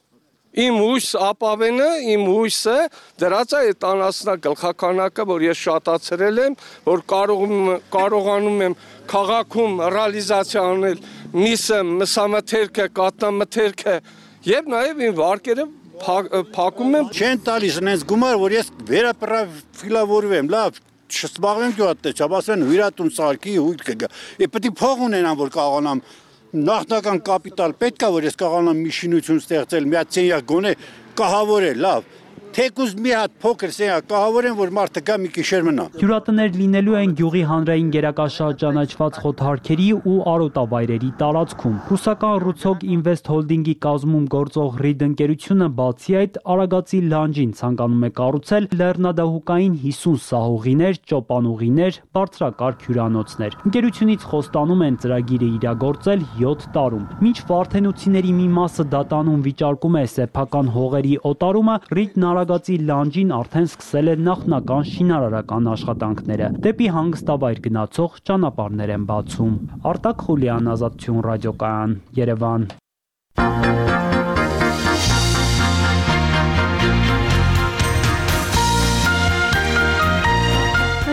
Իմ հույս ապավենը, իմ հույսը դրած է այդ անասնա գլխականակը, որ ես շատացրել եմ, որ կարողանում եմ քաղաքում ռեալիզացիա անել միսը, մսամթերքը, կատնամթերքը եւ նաեւ իմ վարկերը փակում եմ։ Չեն տալիս նենց գումար, որ ես վերապրոֆիլավորվեմ, լավ չսպաղվեմ գյուղատնտեսությամբ, ասեն հյուրատուն սարքի հույտ կգա։ Պետք է փող ունենամ, որ կարողանամ նախնական կապիտալ պետք է, որ ես կարողանամ մի շինություն ստեղծել, մի հատ սենյակ գոնե կահավորել, լավ։ Թեկուզ մի հատ փոքր սենյակ կահավորեն, որ մարդը գա մի գիշեր մնա։ Հյուրատներ լինելու են գյուղի հանրային գերակաշարժ ճանաչված խոթարքերի ու արոտավայրերի տարածքում։ Ռուսական Ռուցոկ Ինվեստ հոլդինգի կազմում գործող Ռիդ ընկերությունը բացի այդ Արագածի լանջին ցանկանում է կառուցել լեռնադահուկային 50 սահուղիներ, ճոպանուղիներ, բարձրակարգ հյուրանոցներ։ Ընկերությունից խոստանում են ծրագիրը իրագործել 7 տարում։ Մինչ վարդենուցիների մի մասը դատանում վիճարկում է սեփական հողերի օտարումը, Ռիդն Արագածի լանջին արդեն սկսել է նախնական շինարարական աշխատանքները։ Դեպի հանգստավայր գնացող ճանապարհներ են բացում։ Արտակ Խուլյան, Ազատություն ռադիոկայան, Երևան։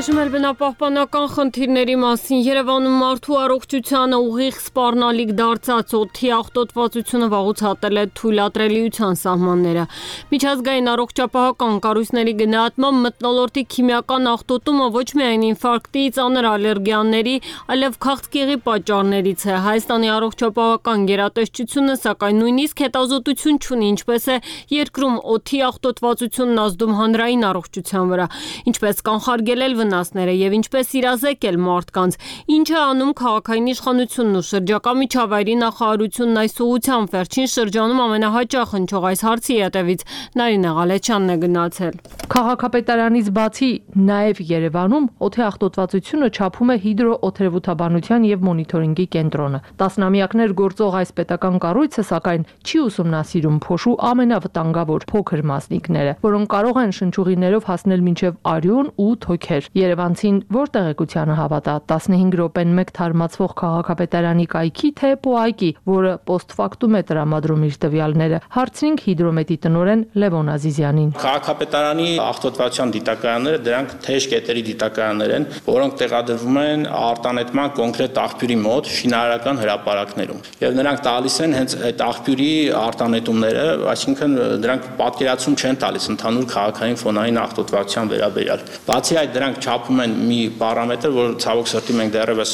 Այժմ բնապահպանական խնդիրների մասին Երևանում մարդու առողջությանը ուղիղ սպառնալիք դարձած օդի աղտոտվածությունը վաղուց հատել է թույլատրելիության սահմանները։ Միջազգային առողջապահական կառույցների գնահատմամբ մթնոլորտի քիմիական աղտոտումը ոչ միայն ինֆարկտի, ծանր ալերգիաների, այլև քաղցկեղի պատճառներից է։ Հայաստանի առողջապահական գերատեսչությունը սակայն նույնիսկ հետազոտություն չունի, ինչպես է երկրում օդի աղտոտվածությունն ազդում հանրային առողջության վրա, ինչպես կանխարգելել վնասները եւ ինչպես իրազեկել մարդկանց, ինչը անում քաղաքային իշխանությունն ու շրջակա միջավայրի նախարարությունն այս ուղղությամբ վերջին շրջանում ամենահաճախ հնչող այս հարցի հետևից Նարինե Ղալեչյանն է գնացել։ Քաղաքապետարանից բացի նաև Երևանում օդի աղտոտվածությունը չափում է հիդրոօթերևութաբանության եւ մոնիթորինգի կենտրոնը։ Տասնամյակներ գործող այս պետական կառույցը սակայն չի ուսումնասիրում փոշու ամենավտանգավոր փոքր մասնիկները, որոնք կարող են շնչուղիներով հասնել մինչև արյուն ու թոքեր։ Երևանցին որ տեղեկությանը հավատա 15 րոպեն մեկ թարմացվող քաղաքապետարանի կայքի թե պոայկի, որը պոստֆակտում է տրամադրում իր տվյալները, հարցրինք հիդրոմետի տնօրեն Լևոն Ազիզյանին։ Քաղաքապետարանի աղտոտվածության դիտակայանները դրանք թեժ կետերի դիտակայաններ են, որոնք տեղադրվում են արտանետման կոնկրետ աղբյուրի մոտ շինարարական հրապարակներում։ Եվ նրանք տալիս են հենց այդ աղբյուրի արտանետումները, այսինքն դրանք պատկերացում չեն տալիս ընդհանուր քաղաքային ֆոնային աղտոտվածության վերաբերյալ։ Բացի այդ դրանք չափում են մի պարամետր, որ ցավոք սրտի մենք դեռևս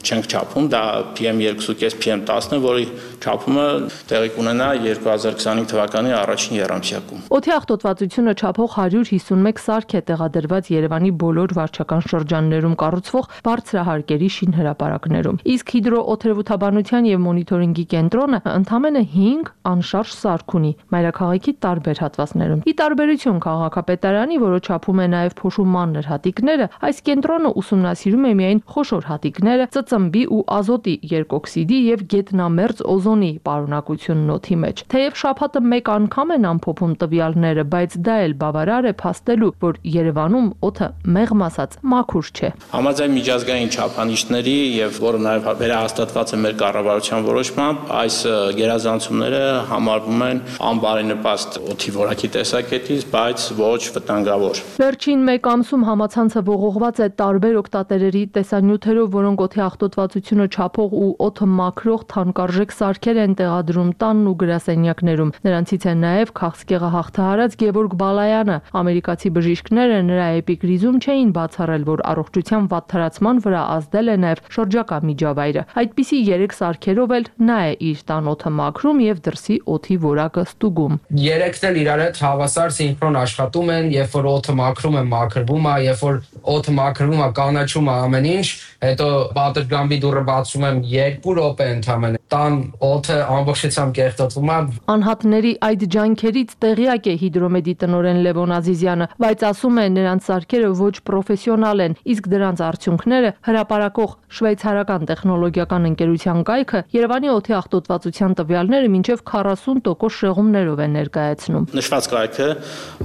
չենք չափում, դա PM2.5, PM10-ն է, որի չափումը տեղի կունենա 2025 թվականի առաջին եռամսյակում։ Օդի աղտոտվածությունը չափող 151 սարք է տեղադրված Երևանի բոլոր վարչական շրջաններում կառուցվող բարձրահարկերի շինհրապարակներում։ Իսկ հիդրոօթերևութաբանության եւ մոնիթորինգի կենտրոնը ընդամենը 5 անշարժ սարք ունի մայրաքաղաքի տարբեր հատվածներում։ Ի տարբերություն քաղաքապետարանի, որը չափում է նաեւ փոշու մանր հատիկները, այս կենտրոնը ուսումնասիրում է միայն խոշոր հատիկները, ծծմբի ու ազոտի երկօքսիդի եւ գետնամերձ օզոն օզոնի պարունակությունն օդի մեջ։ Թեև շաբաթը մեկ անգամ են ամփոփում տվյալները, բայց դա էլ բավարար է փաստելու, որ Երևանում օդը մեղմ ասած մաքուր չէ։ Համաձայն միջազգային չափանիշների եւ որը նաեւ վերահաստատված է մեր կառավարության որոշմամբ, այս գերազանցումները համարվում են անբարենպաստ օդի որակի տեսակետից, բայց ոչ վտանգավոր։ Վերջին մեկ ամսում համացանցը ողողված է տարբեր օգտատերերի տեսանյութերով, որոնք օդի աղտոտվածությունը չափող ու օդը մաքրող թանկարժեք սարքեր են տեղադրում տանն ու գրասենյակներում։ Նրանցից է նաև քաղցկեղը հաղթահարած Գևորգ Բալայանը։ Ամերիկացի բժիշկները նրա էպիկրիզում չէին բացառել, որ առողջության վատթարացման վրա ազդել է նաև շրջակա միջավայրը։ Այդպիսի 3 սարքերով էլ նա է իր տան օդը մաքրում եւ դրսի օդի որակը ստուգում։ 3-ն էլ իրար հետ հավասար սինխրոն աշխատում են, երբ որ օդը մաքրում է, մաքրվում է, երբ որ օդը մաքրվում է, կանաչում է ամեն ինչ, հետո պատերգամբի դուռը բացում եմ 2 րոպե ընդամենը։ Տան օդը ամբողջությամբ կեղտոտվում է։ Անհատների այդ ջանքերից տեղյակ է Հիդրոմեդի տնօրեն Լևոն Ազիզյանը, բայց ասում է նրանց սարքերը ոչ պրոֆեսիոնալ են, իսկ դրանց արդյունքները հրապարակող շվեյցարական տեխնոլոգիական ընկերության կայքը Երևանի օդի աղտոտվածության տվյալները մինչև 40% շեղումներով է ներկայացնում։ Նշված կայքը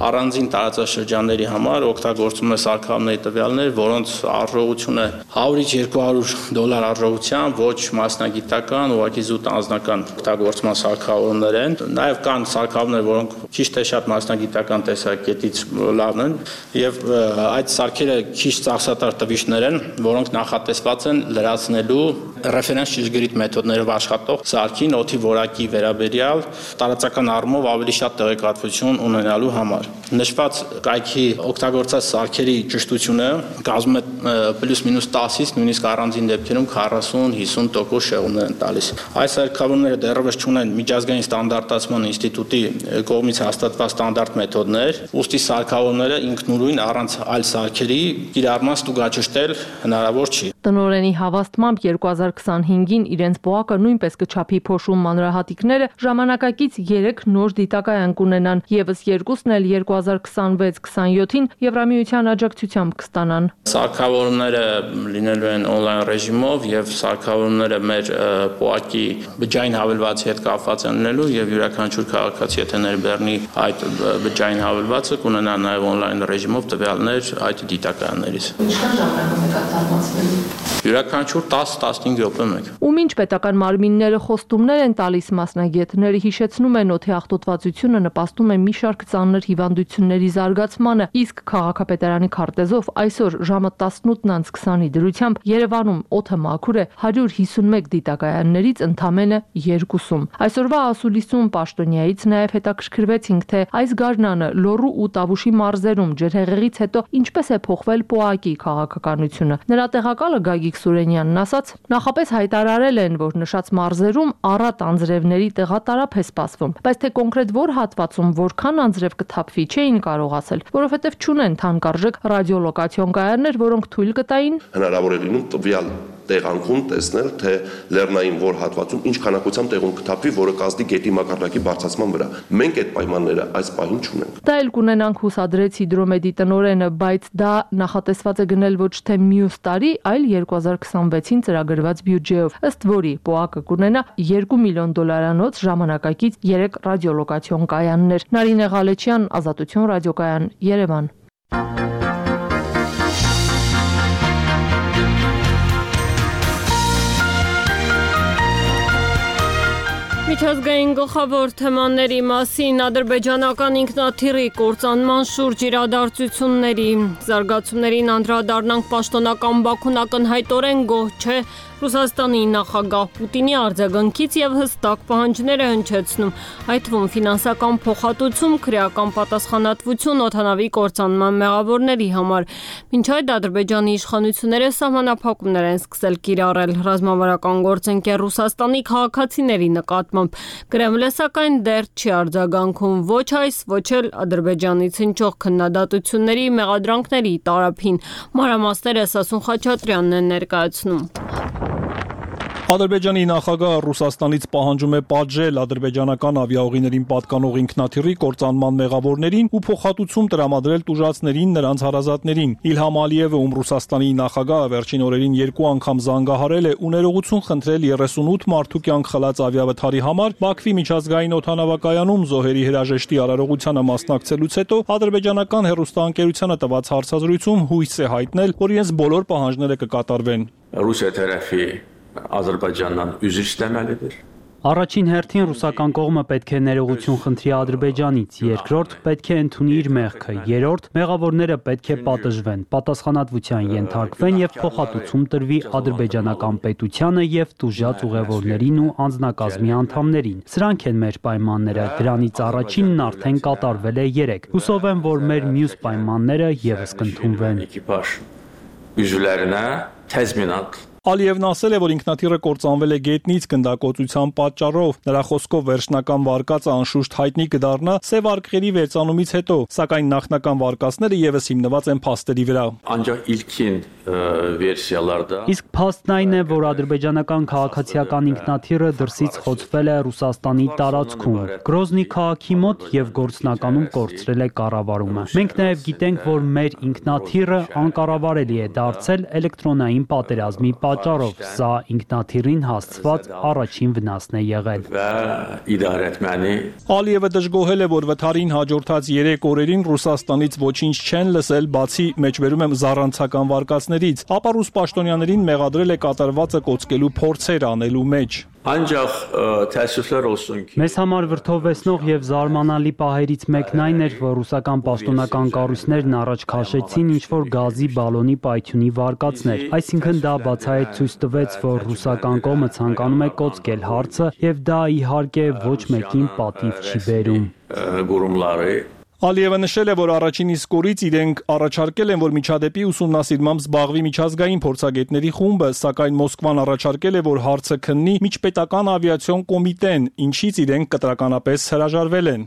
առանձին տարածաշրջանների համար օգտագործում է սարքավորների տվյալներ, որոնց արժողությունը 100-ից $200 արժողությամբ ոչ մասնագիտական, ուղղակի զուտ անձնական օգտագործման սարքավորումներ են։ Նաև կան սարքավորումներ, որոնք քիչ թե շատ մասնագիտական տեսակետից լավն են, եւ այդ սարքերը քիչ ծախսատար տվիչներ են, որոնք նախատեսված են լրացնելու ռեֆերենս ճշգրիտ մեթոդներով աշխատող սարքին օդի որակի վերաբերյալ տարածական առումով ավելի շատ տեղեկատվություն ունենալու համար։ Նշված կայքի օգտագործած սարքերի ճշտությունը կազմում է պլյուս-մինուս 10-ից նույնիսկ առանձին դեպքերում 40-50% շեղումներ են տալիս։ Այս սարքավորումները դեռևս չունեն միջազգային ստանդարտացման ինստիտուտի կողմից հաստատված ստանդարտ մեթոդներ, ուստի սարքավորումները ինքնուրույն առանց այլ սարքերի կիրառման ստուգաճշտել հնարավոր չի։ Տնօրենի հավաստմամբ 2025-ին իրենց ՊՕԱԿ-ը նույնպես կչափի փոշում մանրահատիկները ժամանակակից 3 նոր դիտակայան կունենան, եւս 2-ն էլ 2026-27-ին Եվրամիության աջակցությամբ կստանան։ Սարքավորումները լինելու են օնլայն ռեժիմով եւ սարքավորումները մեր ՊՕԱԿ-ի բջջային հավելվածի հետ կապված են լինելու եւ յուրաքանչյուր քաղաքացի եթե ներբեռնի այդ բջջային հավելվածը կունենա նաեւ օնլայն ռեժիմով տվյալներ այդ դիտակայաններից։ Ինչքան ժամանակում է կատարվածվելու։ Յուրաքանչյուր 10-15 րոպե մեկ։ Ում ինչ պետական մարմինները խոստումներ են տալիս մասնագետները հիշեցնում են օդի աղտոտվածությունը նպաստում է մի շարք ծանր հիվանդությունների զարգացմանը, իսկ քաղաքապետարանի քարտեզով այսօր ժամը 18:20-ի դրությամբ Երևանում օդը մաքուր է 151 դիտակայաններից ընդամենը 2-ում։ Այսօրվա ասուլիսում պաշտոնյայից նաև հետաքրքրվեցինք, թե այս գարնանը Լոռու ու Տավուշի մարզերում ջրհեղեղից հետո ինչպես է փոխվել ՊՕԱԿ-ի քաղաքականությունը։ Նրա տեղակալը Գագիկ Սուրենյանն ասաց, նախապես հայտարարել են, որ նշած մարզերում առատ անձրևների տեղատարափ է սպասվում, բայց թե կոնկրետ որ հատվածում որքան անձրև կթափվի չէին կարող ասել, որովհետև չունեն թանկարժեք ռադիոլոկացիոն կայաններ, որոնք թույլ կտային հնարավոր է լինում տվյալ տեղանքում տեսնել, թե լեռնային որ հատվածում ինչ քանակությամբ տեղում կթափվի, որը կազդի գետի մակարդակի բարձրացման վրա։ Մենք այդ պայմանները այս պահին չունենք։ Դա էլ կունենանք հուսադրեց Հիդրոմեդի տնօրենը, բայց դա նախատեսված է գնել ոչ թե մյուս տարի, այլ 2026-ին ծրագրված բյուջեով, ըստ որի ՊՕԱԿ-ը կունենա $2 միլիոն ժամանակակից 3 ռադիոլոկացիոն կայաններ։ Նարինե Ղալեչյան, Ազատություն ռադիոկայան, Երևան։ Միջազգային գլխավոր թեմաների մասին ադրբեջանական ինքնաթիռի կործանման շուրջ իրադարձությունների զարգացումներին անդրադառնանք պաշտոնական Բաքուն ակնհայտորեն գոհ չէ Ռուսաստանի նախագահ Պուտինի արձագանքից եւ հստակ պահանջներ է հնչեցնում, այդ թվում ֆինանսական փոխհատուցում, քրեական պատասխանատվություն օդանավի կործանման մեղավորների համար։ Մինչ այդ Ադրբեջանի իշխանությունները սահմանափակումներ են սկսել կիրառել ռազմավարական գործընկեր Ռուսաստանի քաղաքացիների նկատմամբ։ Կրեմլը սակայն դեռ չի արձագանքում ոչ այս, ոչ էլ Ադրբեջանից հնչող քննադատությունների մեղադրանքների տարափին։ Մանրամասները Սասուն Խաչատրյանն է ներկայացնում։ Ադրբեջանի նախագահը Ռուսաստանից պահանջում է պատժել ադրբեջանական ավիաուղիներին պատկանող ինքնաթիռի կործանման մեղավորներին ու փոխհատուցում տրամադրել տուժածներին նրանց հարազատներին։ Իլհամ Ալիևը, ում Ռուսաստանի նախագահը վերջին օրերին 2 անգամ զանգահարել է ու ներողություն խնդրել 38 մարդու կյանք խլած ավիավթարի համար, Բաքվի միջազգային օդանավակայանում զոհերի հրաժեշտի արարողությանը մասնակցելուց հետո ադրբեջանական հեռուստաընկերությանը տված հարցազրույցում հույս է հայտնել, որ իրենց բոլոր պահանջները կկատարվեն։ Ռուսիա tərəfi Ադրբեջանdan üzr istəməlidir. Առաջին հերթին ռուսական կողմը պետք է ներողություն խնդրի Ադրբեջանից, երկրորդ պետք է ընդունի իր մեղքը, երրորդ մեղավորները պետք է պատժվեն, պատասխանատվության ենթարկվեն եւ փոխհատուցում տրվի ադրբեջանական պետությանը եւ տուժած ուղևորներին ու անձնակազմի անդամներին։ Սրանք են մեր պայմանները, դրանից առաջինն արդեն կատարվել է 3։ Հուսով եմ, որ մեր մյուս պայմանները եւս կընդունվեն։ Üzvlərinə təzminat Ալիևն ասել է, որ ինքնաթիռը կործանվել է գետնից գնդակոծության պատճառով։ Նրա խոսքով վերջնական վարկածը անշուշտ հայտնի կդառնա սև արկղերի վերծանումից հետո, սակայն նախնական վարկածները եւս հիմնված են փաստերի վրա։ Ancaq ilkin versiyalarda Իսկ փաստն այն է, որ ադրբեջանական քաղաքացիական ինքնաթիռը դրսից խոցվել է Ռուսաստանի տարածքում, Գրոզնի քաղաքի մոտ եւ գործնականում կորցրել է կառավարումը։ Մենք նաեւ գիտենք, որ մեր ինքնաթիռը անկառավարելի է դարձել էլեկտրոնային պատերազմի պատճառով, սա ինքնաթիռին հասցված առաջին վնասն է եղել։ Ալիևը դժգոհել է, որ վթարին հաջորդած 3 օրերին Ռուսաստանից ոչինչ չեն լսել, բացի մեջբերում եմ զառանցական վարկածներից, ապա ռուս պաշտոնյաներին մեղադրել է կատարվածը կոծկելու փորձեր անելու մեջ։ Ancaq təəssüflər olsun ki Մեզ համար վրդովվեցնող եւ զարմանալի պահերից մեկն այն էր, որ ռուսական պաշտոնական կառույցներն առաջ քաշեցին ինչ-որ գազի բալոնի պայթյունի վարկածներ, այսինքն դա բացահայտ ցույց տվեց, որ ռուսական կողմը ցանկանում է կոծկել հարցը եւ դա իհարկե ոչ մեկին պատիվ չի բերում։ Գուրումլարի Ալիևը նշել է, որ առաջին իսկ օրից իրենք առաջարկել են, որ միջադեպի ուսումնասիրմամբ զբաղվի միջազգային փորձագետների խումբը, սակայն Մոսկվան առաջարկել է, որ հարցը քննի միջպետական ավիացիոն կոմիտեն, ինչից իրենք կտրականապես հրաժարվել են։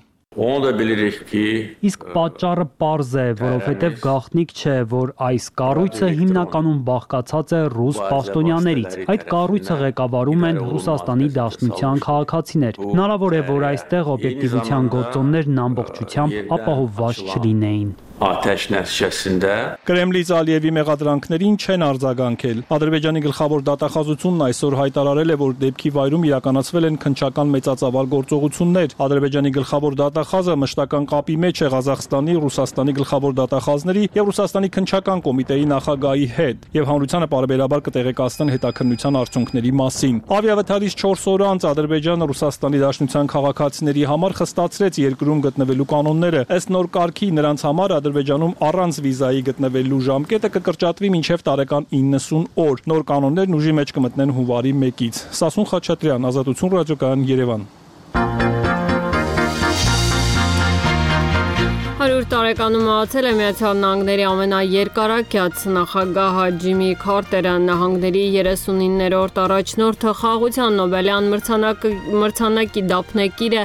Իսկ պատճառը պարզ է, որովհետև գաղտնիք չէ, որ այս կառույցը հիմնականում բաղկացած է ռուս պաշտոնյաներից։ Այդ կառույցը ղեկավարում են Ռուսաստանի Դաշնության քաղաքացիներ։ Հնարավոր է, որ այստեղ օբյեկտիվության գործոններն ամբողջությամբ ապահովված չլինեին։ Ateş nəticəsində Կրեմլից Ալիևի մեղադրանքներին չեն արձագանքել։ Ադրբեջանի գլխավոր դատախազությունն այսօր հայտարարել է, որ դեպքի վայրում իրականացվել են քննչական մեծածավալ գործողություններ։ Ադրբեջանի գլխավոր դատախազը մշտական կապի մեջ է Ղազախստանի, Ռուսաստանի գլխավոր դատախազների եւ Ռուսաստանի քննչական կոմիտեի նախագահի հետ եւ հանրությանը պարբերաբար կտեղեկացնեն հետաքննության արդյունքների մասին։ Ավիավթարից 4 օր անց Ադրբեջանը Ռուսաստանի Դաշնության քաղաքացիների համար խստացրեց երկրում գտնվելու կանոնները։ Ըստ նոր կարգի նրանց համար Ադրբեջանում առանց վիզայի գտնվելու ժամկետը կկրճատվի մինչև տարեկան 90 օր։ Նոր կանոններն ուժի մեջ կմտնեն հունվարի 1-ից։ Սասուն Խաչատրյան, Ազատություն ռադիոկայան, Երևան։ 100 տարեկանում մահացել է Միացյալ Նահանգների ամենաերկարակյաց նախագահ Ջիմի Քարտերը, նահանգների 39-րդ առաջնորդը, խաղաղության Նոբելյան մրցանակի դափնեկիրը,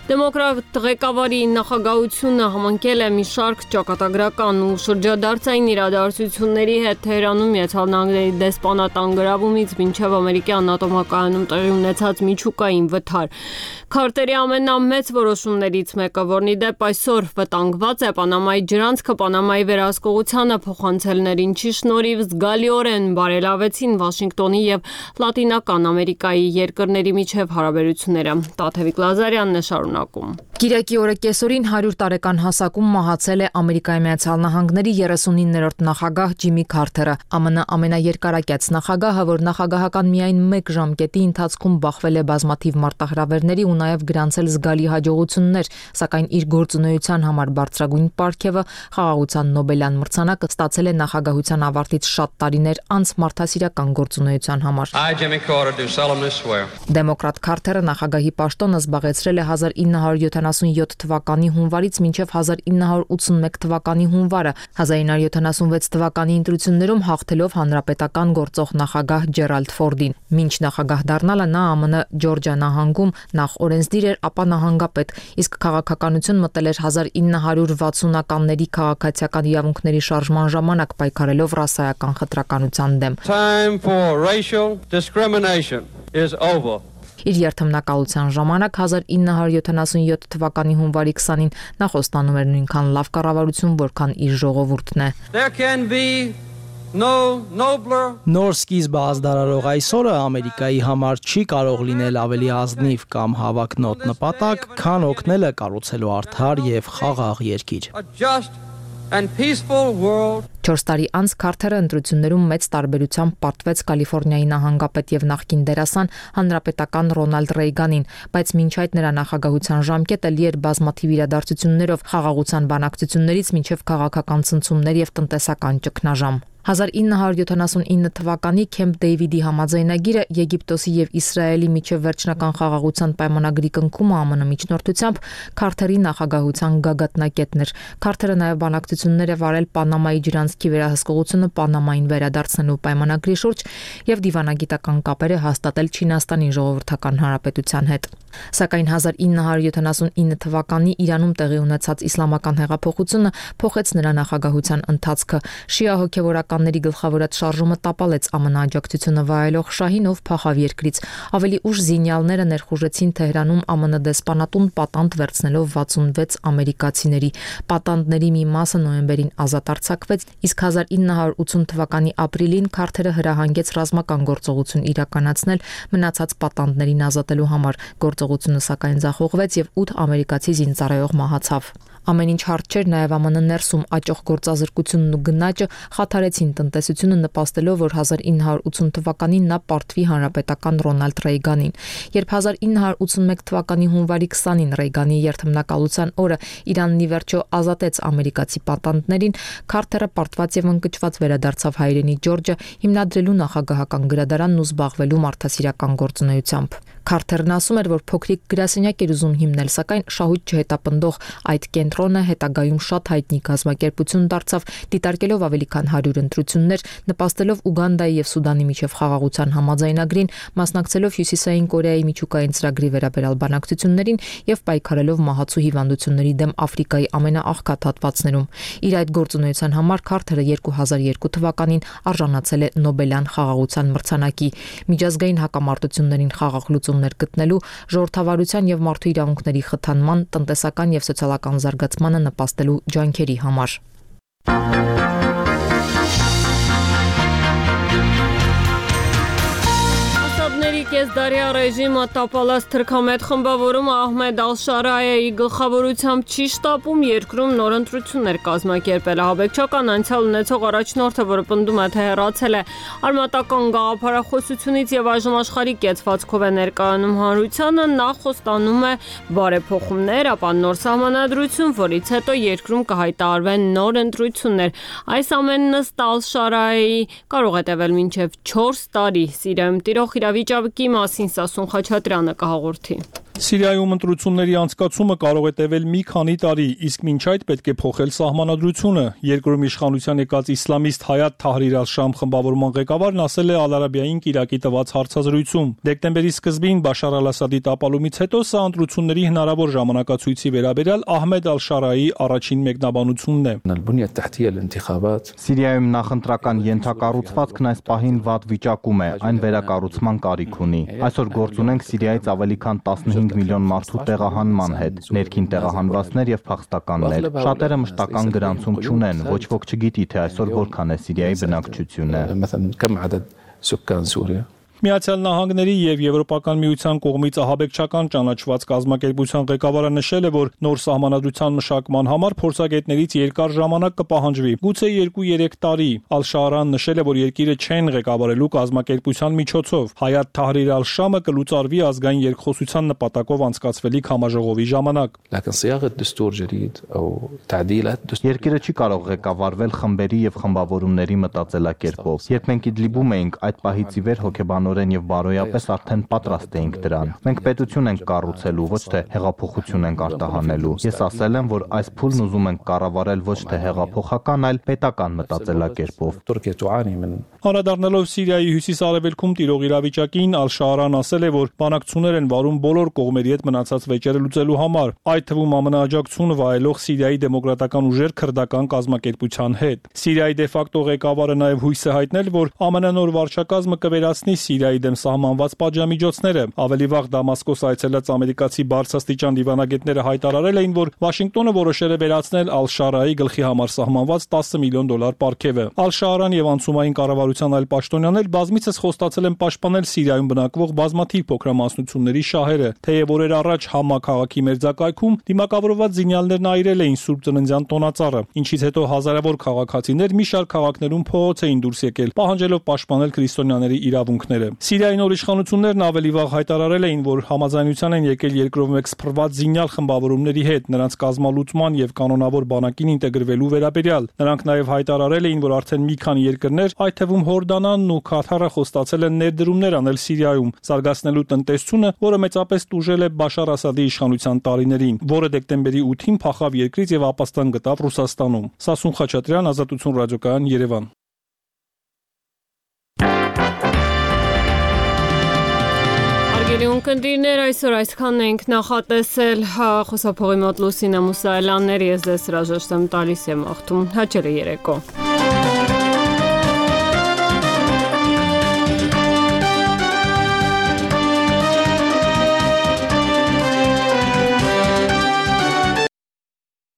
դեմոկրատ ղեկավարի նախագահությունը համընկել է մի շարք ճակատագրական ու շրջադարձային իրադարձությունների հետ Թեհրանում Միացյալ Նահանգների դեսպանատան գրավումից մինչև ամերիկյան ատոմակայանում տեղի ունեցած միջուկային վթար։ Քարտերի ամենամեծ որոշումներից մեկը, որն ի դեպ այսօր վտանգված է Պանամայի ջրանցքը Պանամայի վերահսկողությանը փոխանցելներ, ինչի շնորհիվ զգալիորեն բարելավեցին Վաշինգտոնի եւ Լատինական Ամերիկայի երկրների միջև հարաբերությունները։ Տաթևիկ Լազարյանն է շարունակում։ Կիրակի օրը կեսօրին 100 տարեկան հասակում մահացել է Ամերիկայի Միացյալ Նահանգների 39-րդ նախագահ Ջիմի Քարտերը, ԱՄՆ ամենաերկարակյաց նախագահը, որ նախագահական միայն 1 ժամկետի ընթացքում բախվել է բազմաթիվ մարտահրավերների ու նաև գրանցել զգալի հաջողություններ, սակայն իր գործունեության համար բարձրագույն պարգևը խաղաղության Նոբելյան մրցանակը ստացել է նախագահության ավարտից շատ տարիներ անց մարդասիրական գործունեության համար։ Դեմոկրատ Քարտերը նախագահի պաշտոնը զբաղեցրել է 1977 թվականի հունվարից մինչև 1981 թվականի հունվարը, 1976 թվականի ընտրություններում հաղթելով հանրապետական գործող նախագահ Ջերալդ Ֆորդին։ Մինչ նախագահ դառնալը նա ԱՄՆ Ջորջիա նահանգում նախ օրենսդիր էր, ապա նահանգապետ, իսկ քաղաքականություն մտել էր 1960-ականների քաղաքացիական իրավունքների շարժման ժամանակ պայքարելով ռասայական խտրականության դեմ։ Time for racial discrimination. is over. Իր երթմնակալության ժամանակ 1977 թվականի հունվարի 20-ին նա խոստանում էր նույնքան լավ կառավարություն, որքան իր ժողովուրդն է։ There can be no nobler. Նոր սկիզբը ազդարարող այսօրը Ամերիկայի համար չի կարող լինել ավելի ազնիվ կամ հավակնոտ նպատակ, քան օգնելը կառուցելու արդար եւ խաղաղ երկիր։ A just and peaceful world. 4 տարի անց Քարթերը ընտրություններում մեծ տարբերությամբ պարտվեց Կալիֆոռնիայի նահանգապետ եւ նախկին դերասան հանրապետական Ռոնալդ Ռեյգանին, բայց մինչ այդ նրա նախագահության ժամկետը լի էր բազմաթիվ իրադարձություններով, խաղաղության բանակցություններից մինչև քաղաքական ցնցումներ եւ տնտեսական ճգնաժամ։ 1979 թվականի Քեմփ Դեյվիդի համաձայնագիրը Եգիպտոսի եւ Իսրայելի միջև վերջնական խաղաղության պայմանագրի կնքումը ԱՄՆ միջնորդությամբ Քարթերի նախագահության գագաթնակետն էր։ Քարթերը նաեւ բանակցություններ է վարել Պանամայի ջրանցքի վերահսկողությունը Պանամային վերադարձնելու պայմանագրի շուրջ եւ դիվանագիտական կապեր է հաստատել Չինաստանի ժողովրդական հանրապետության հետ։ Սակայն 1979 թվականի Իրանում տեղի ունեցած իսլամական հեղափոխությունը փոխեց նրա նախագահության ընթացքը։ Շիա հոգևորականների գլխավորած շարժումը տապալեց ԱՄՆ աջակցությունը վայելող շահին, ով փախավ երկրից։ Ավելի ուշ զինյալները ներխուժեցին Թեհրանում ԱՄՆ դեսպանատուն պատանդ վերցնելով 66 ամերիկացիների։ Պատանդների մի մասը նոյեմբերին ազատ արձակվեց, իսկ 1980 թվականի ապրիլին Քարթերը հրահանգեց ռազմական գործողություն իրականացնել մնացած պատանդներին ազատելու համար։ Գործողությունը սակայն ձախողվեց եւ 8 ամերիկացի զինծառայող մահացավ։ Ամեն ինչ հարթ չէր նաև ԱՄՆ ներսում աճող գործազրկությունն ու գնաճը խաթարեցին տնտեսությունը, նպաստելով, որ 1980 թվականին նա պարտվի հանրապետական Ռոնալդ Ռեյգանին։ Երբ 1981 թվականի հունվարի 20-ին Ռեյգանի երթմնակալության օրը Իրանն ի վերջո ազատեց ամերիկացի պատանդներին, Քարթերը պարտված եւ ընկճված վերադարձավ հայրենի Ջորջը, հիմնադրելու նախագահական գրադարանն ու զբաղվելու մարդասիրական գործունեությամբ։ Քարթերն ասում էր, որ փոքրիկ գրասենյակ էր ուզում հիմնել, սակայն շահույթ չհետապնդող այդ կենտրոնը հետագայում շատ հայտնի կազմակերպություն դարձավ, դիտարկելով ավելի քան 100 ընտրություններ, նպաստելով Ուգանդայի եւ Սուդանի միջև խաղաղության համաձայնագրին, մասնակցելով Հյուսիսային Կորեայի միջուկային ծրագրի վերաբերյալ բանակցություններին եւ պայքարելով մահացու հիվանդությունների դեմ Աֆրիկայի ամենաաղքատ հատվածներում։ Իր այդ գործունեության համար Քարթերը 2002 թվականին արժանացել է Նոբելյան խաղաղության մրցանակի։ Միջազգային հակամարտություններին խաղաղ լուծումներ գտնելու, ժողովրդավարության եւ մարդու իրավունքների խթանման, տնտեսական եւ սոցիալական զարգացմանը նպաստելու ջանքերի համար։ Կեսդարյա ռեժիմը տապալած թրքամետ խմբավորումը Ահմեդ Ալ-Շարայեի գլխավորությամբ չի շտապում երկրում նոր ընտրություններ կազմակերպել։ Ահաբեկչական անցյալ ունեցող առաջնորդը, որը պնդում է, թե հեռացել է արմատական գաղափարախոսությունից եւ այժմ աշխարհի կեցվածքով է ներկայանում հանրությանը, նա խոստանում է բարեփոխումներ, ապա նոր սահմանադրություն, որից հետո երկրում կհայտարարվեն նոր ընտրություններ։ Այս ամենն ըստ Ալ-Շարայեի կարող է տևել մինչև 4 տարի։ Սիրիայում տիրող իրավիճակի մասին Սասուն Խաչատրյանը կհաղորդի։ Սիրիայում ընտրությունների անցկացումը կարող է տևել մի քանի տարի, իսկ մինչ այդ պետք է փոխել սահմանադրությունը։ Երկրում իշխանության եկած իսլամիստ Հայաթ Թահրիր Ալ-Շամ խմբավորման ղեկավարն ասել է Ալ-Արաբիային Իրաքի տված հարցազրույցում։ Դեկտեմբերի սկզբին Բաշար Ալ-Ասադի տապալումից հետո սա ընտրությունների հնարավոր ժամանակացույցի վերաբերյալ Ահմեդ Ալ-Շարայի առաջին մեկնաբանությունն է։ Սիրիայում նախընտրական ենթակառուցվածքն այս պահին վատ վիճակում է, այն վերակառուցման կարիք ունի։ Այսօր գործ ունենք Սիրիայից ավելի քան 15 միլիոն մարդու տեղահանման հետ, ներքին տեղահանվածներ եւ փախստականներ։ Շատերը մշտական գրանցում չունեն, ոչ ոք չգիտի, թե այսօր որքան է Սիրիայի բնակչությունը։ Միացյալ Նահանգների եւ Եվրոպական միության կողմից ահաբեկչական ճանաչված կազմակերպության ղեկավարը նշել է, որ նոր սահմանադրության մշակման համար փորձագետներից երկար ժամանակ կպահանջվի, գուցե 2-3 տարի։ Ալ-Շարան նշել է, որ երկիրը չեն ղեկավարելու կազմակերպության միջոցով։ Հայաթ Թահրիր Ալ-Շամը կլուծարվի ազգային երկխոսության նպատակով անցկացվելիք համաժողովի ժամանակ։ Երկիրը չի կարող ղեկավարվել խմբերի եւ խմբավորումների մտածելակերպով։ Երբ մենք Իդլիբում էինք, այդ պահից ի վեր հոգեբանորեն եւ բարոյապես արդեն պատրաստ էինք դրան։ Մենք պետություն ենք կառուցելու, ոչ թե հեղափոխություն ենք արտահանելու։ Ես ասել եմ, որ այս փուլն ուզում ենք կառավարել ոչ թե հեղափոխական, այլ պետական մտածելակերպով։ Անդրադառնալով Սիրիայի հյուսիս-արևելքում տիրող իրավիճակին, Ալ-Շարան ասել է, որ բանակցություններ են վարում բոլոր կողմերի հետ մնացած վեճերը լուծելու համար, այդ թվում ԱՄՆ աջակցություն վայելող Սիրիայի դեմոկրատական ուժեր քրդական կազմակերպության հետ։ Սիրիայի դե ֆակտո ղեկավարը նաև հույս է հայտնել, որ ԱՄՆ նոր վարչակազմը կվերացնի Սիրիայի դեմ սահմանված պատժամիջոցները։ Ավելի վաղ Դամասկոս այցելած ամերիկացի բարձրաստիճան դիվանագետները հայտարարել էին, որ Վաշինգտոնը որոշել է վերացնել Ալ-Շարայի գլխի համար սահմանված $10 միլիոն պարգևը։ Ալ-Շարան եւ անցումային կառավարության այլ պաշտոնյաներ բազմիցս խոստացել են պաշտպանել Սիրիայում բնակվող բազմաթիվ փոքրամասնությունների շահերը, թեև օրեր առաջ Համա քաղաքի մերձակայքում դիմակավորված զինյալներն այրել էին Սուրբ Ծննդյան տոնածառը, ինչից հետո հազարավոր քաղաքացիներ մի շարք քաղաքներում փողոց էին դուրս եկել, պահանջելով պաշտպանել քրիստոնյաների իրավունքները։ Սիրիայի նոր իշխանություններն ավելի վաղ հայտարարել էին, որ համաձայնության են եկել երկրով մեկ սփռված զինյալ խմբավորումների հետ, նրանց կազմալուծման եւ կանոնավոր բանակին ինտեգրվելու վերաբերյալ։ Նրանք նաեւ հայտարարել էին, որ արդեն մի քանի երկրներ, այդ թվում Հորդանանն ու Քաթարը խոստացել են ներդրումներ անել Սիրիայում, զարգացնելու տնտեսությունը, որը մեծապես տուժել է Բաշար Ասադի իշխանության տարիներին, որը դեկտեմբերի 8-ին փախավ երկրից եւ ապաստան գտավ Ռուսաստանում։ Սասուն Խաչատրյան, Ազատություն ռադիոկայան, Երևան։ Ունկնդիրներ, այսօր այսքանն ենք նախատեսել, խոսափողի մոտ Լուսինե Մուսայելյաններ, ես ձեզ հրաժեշտ եմ տալիս եմ աղթում, հաճելի երեկո։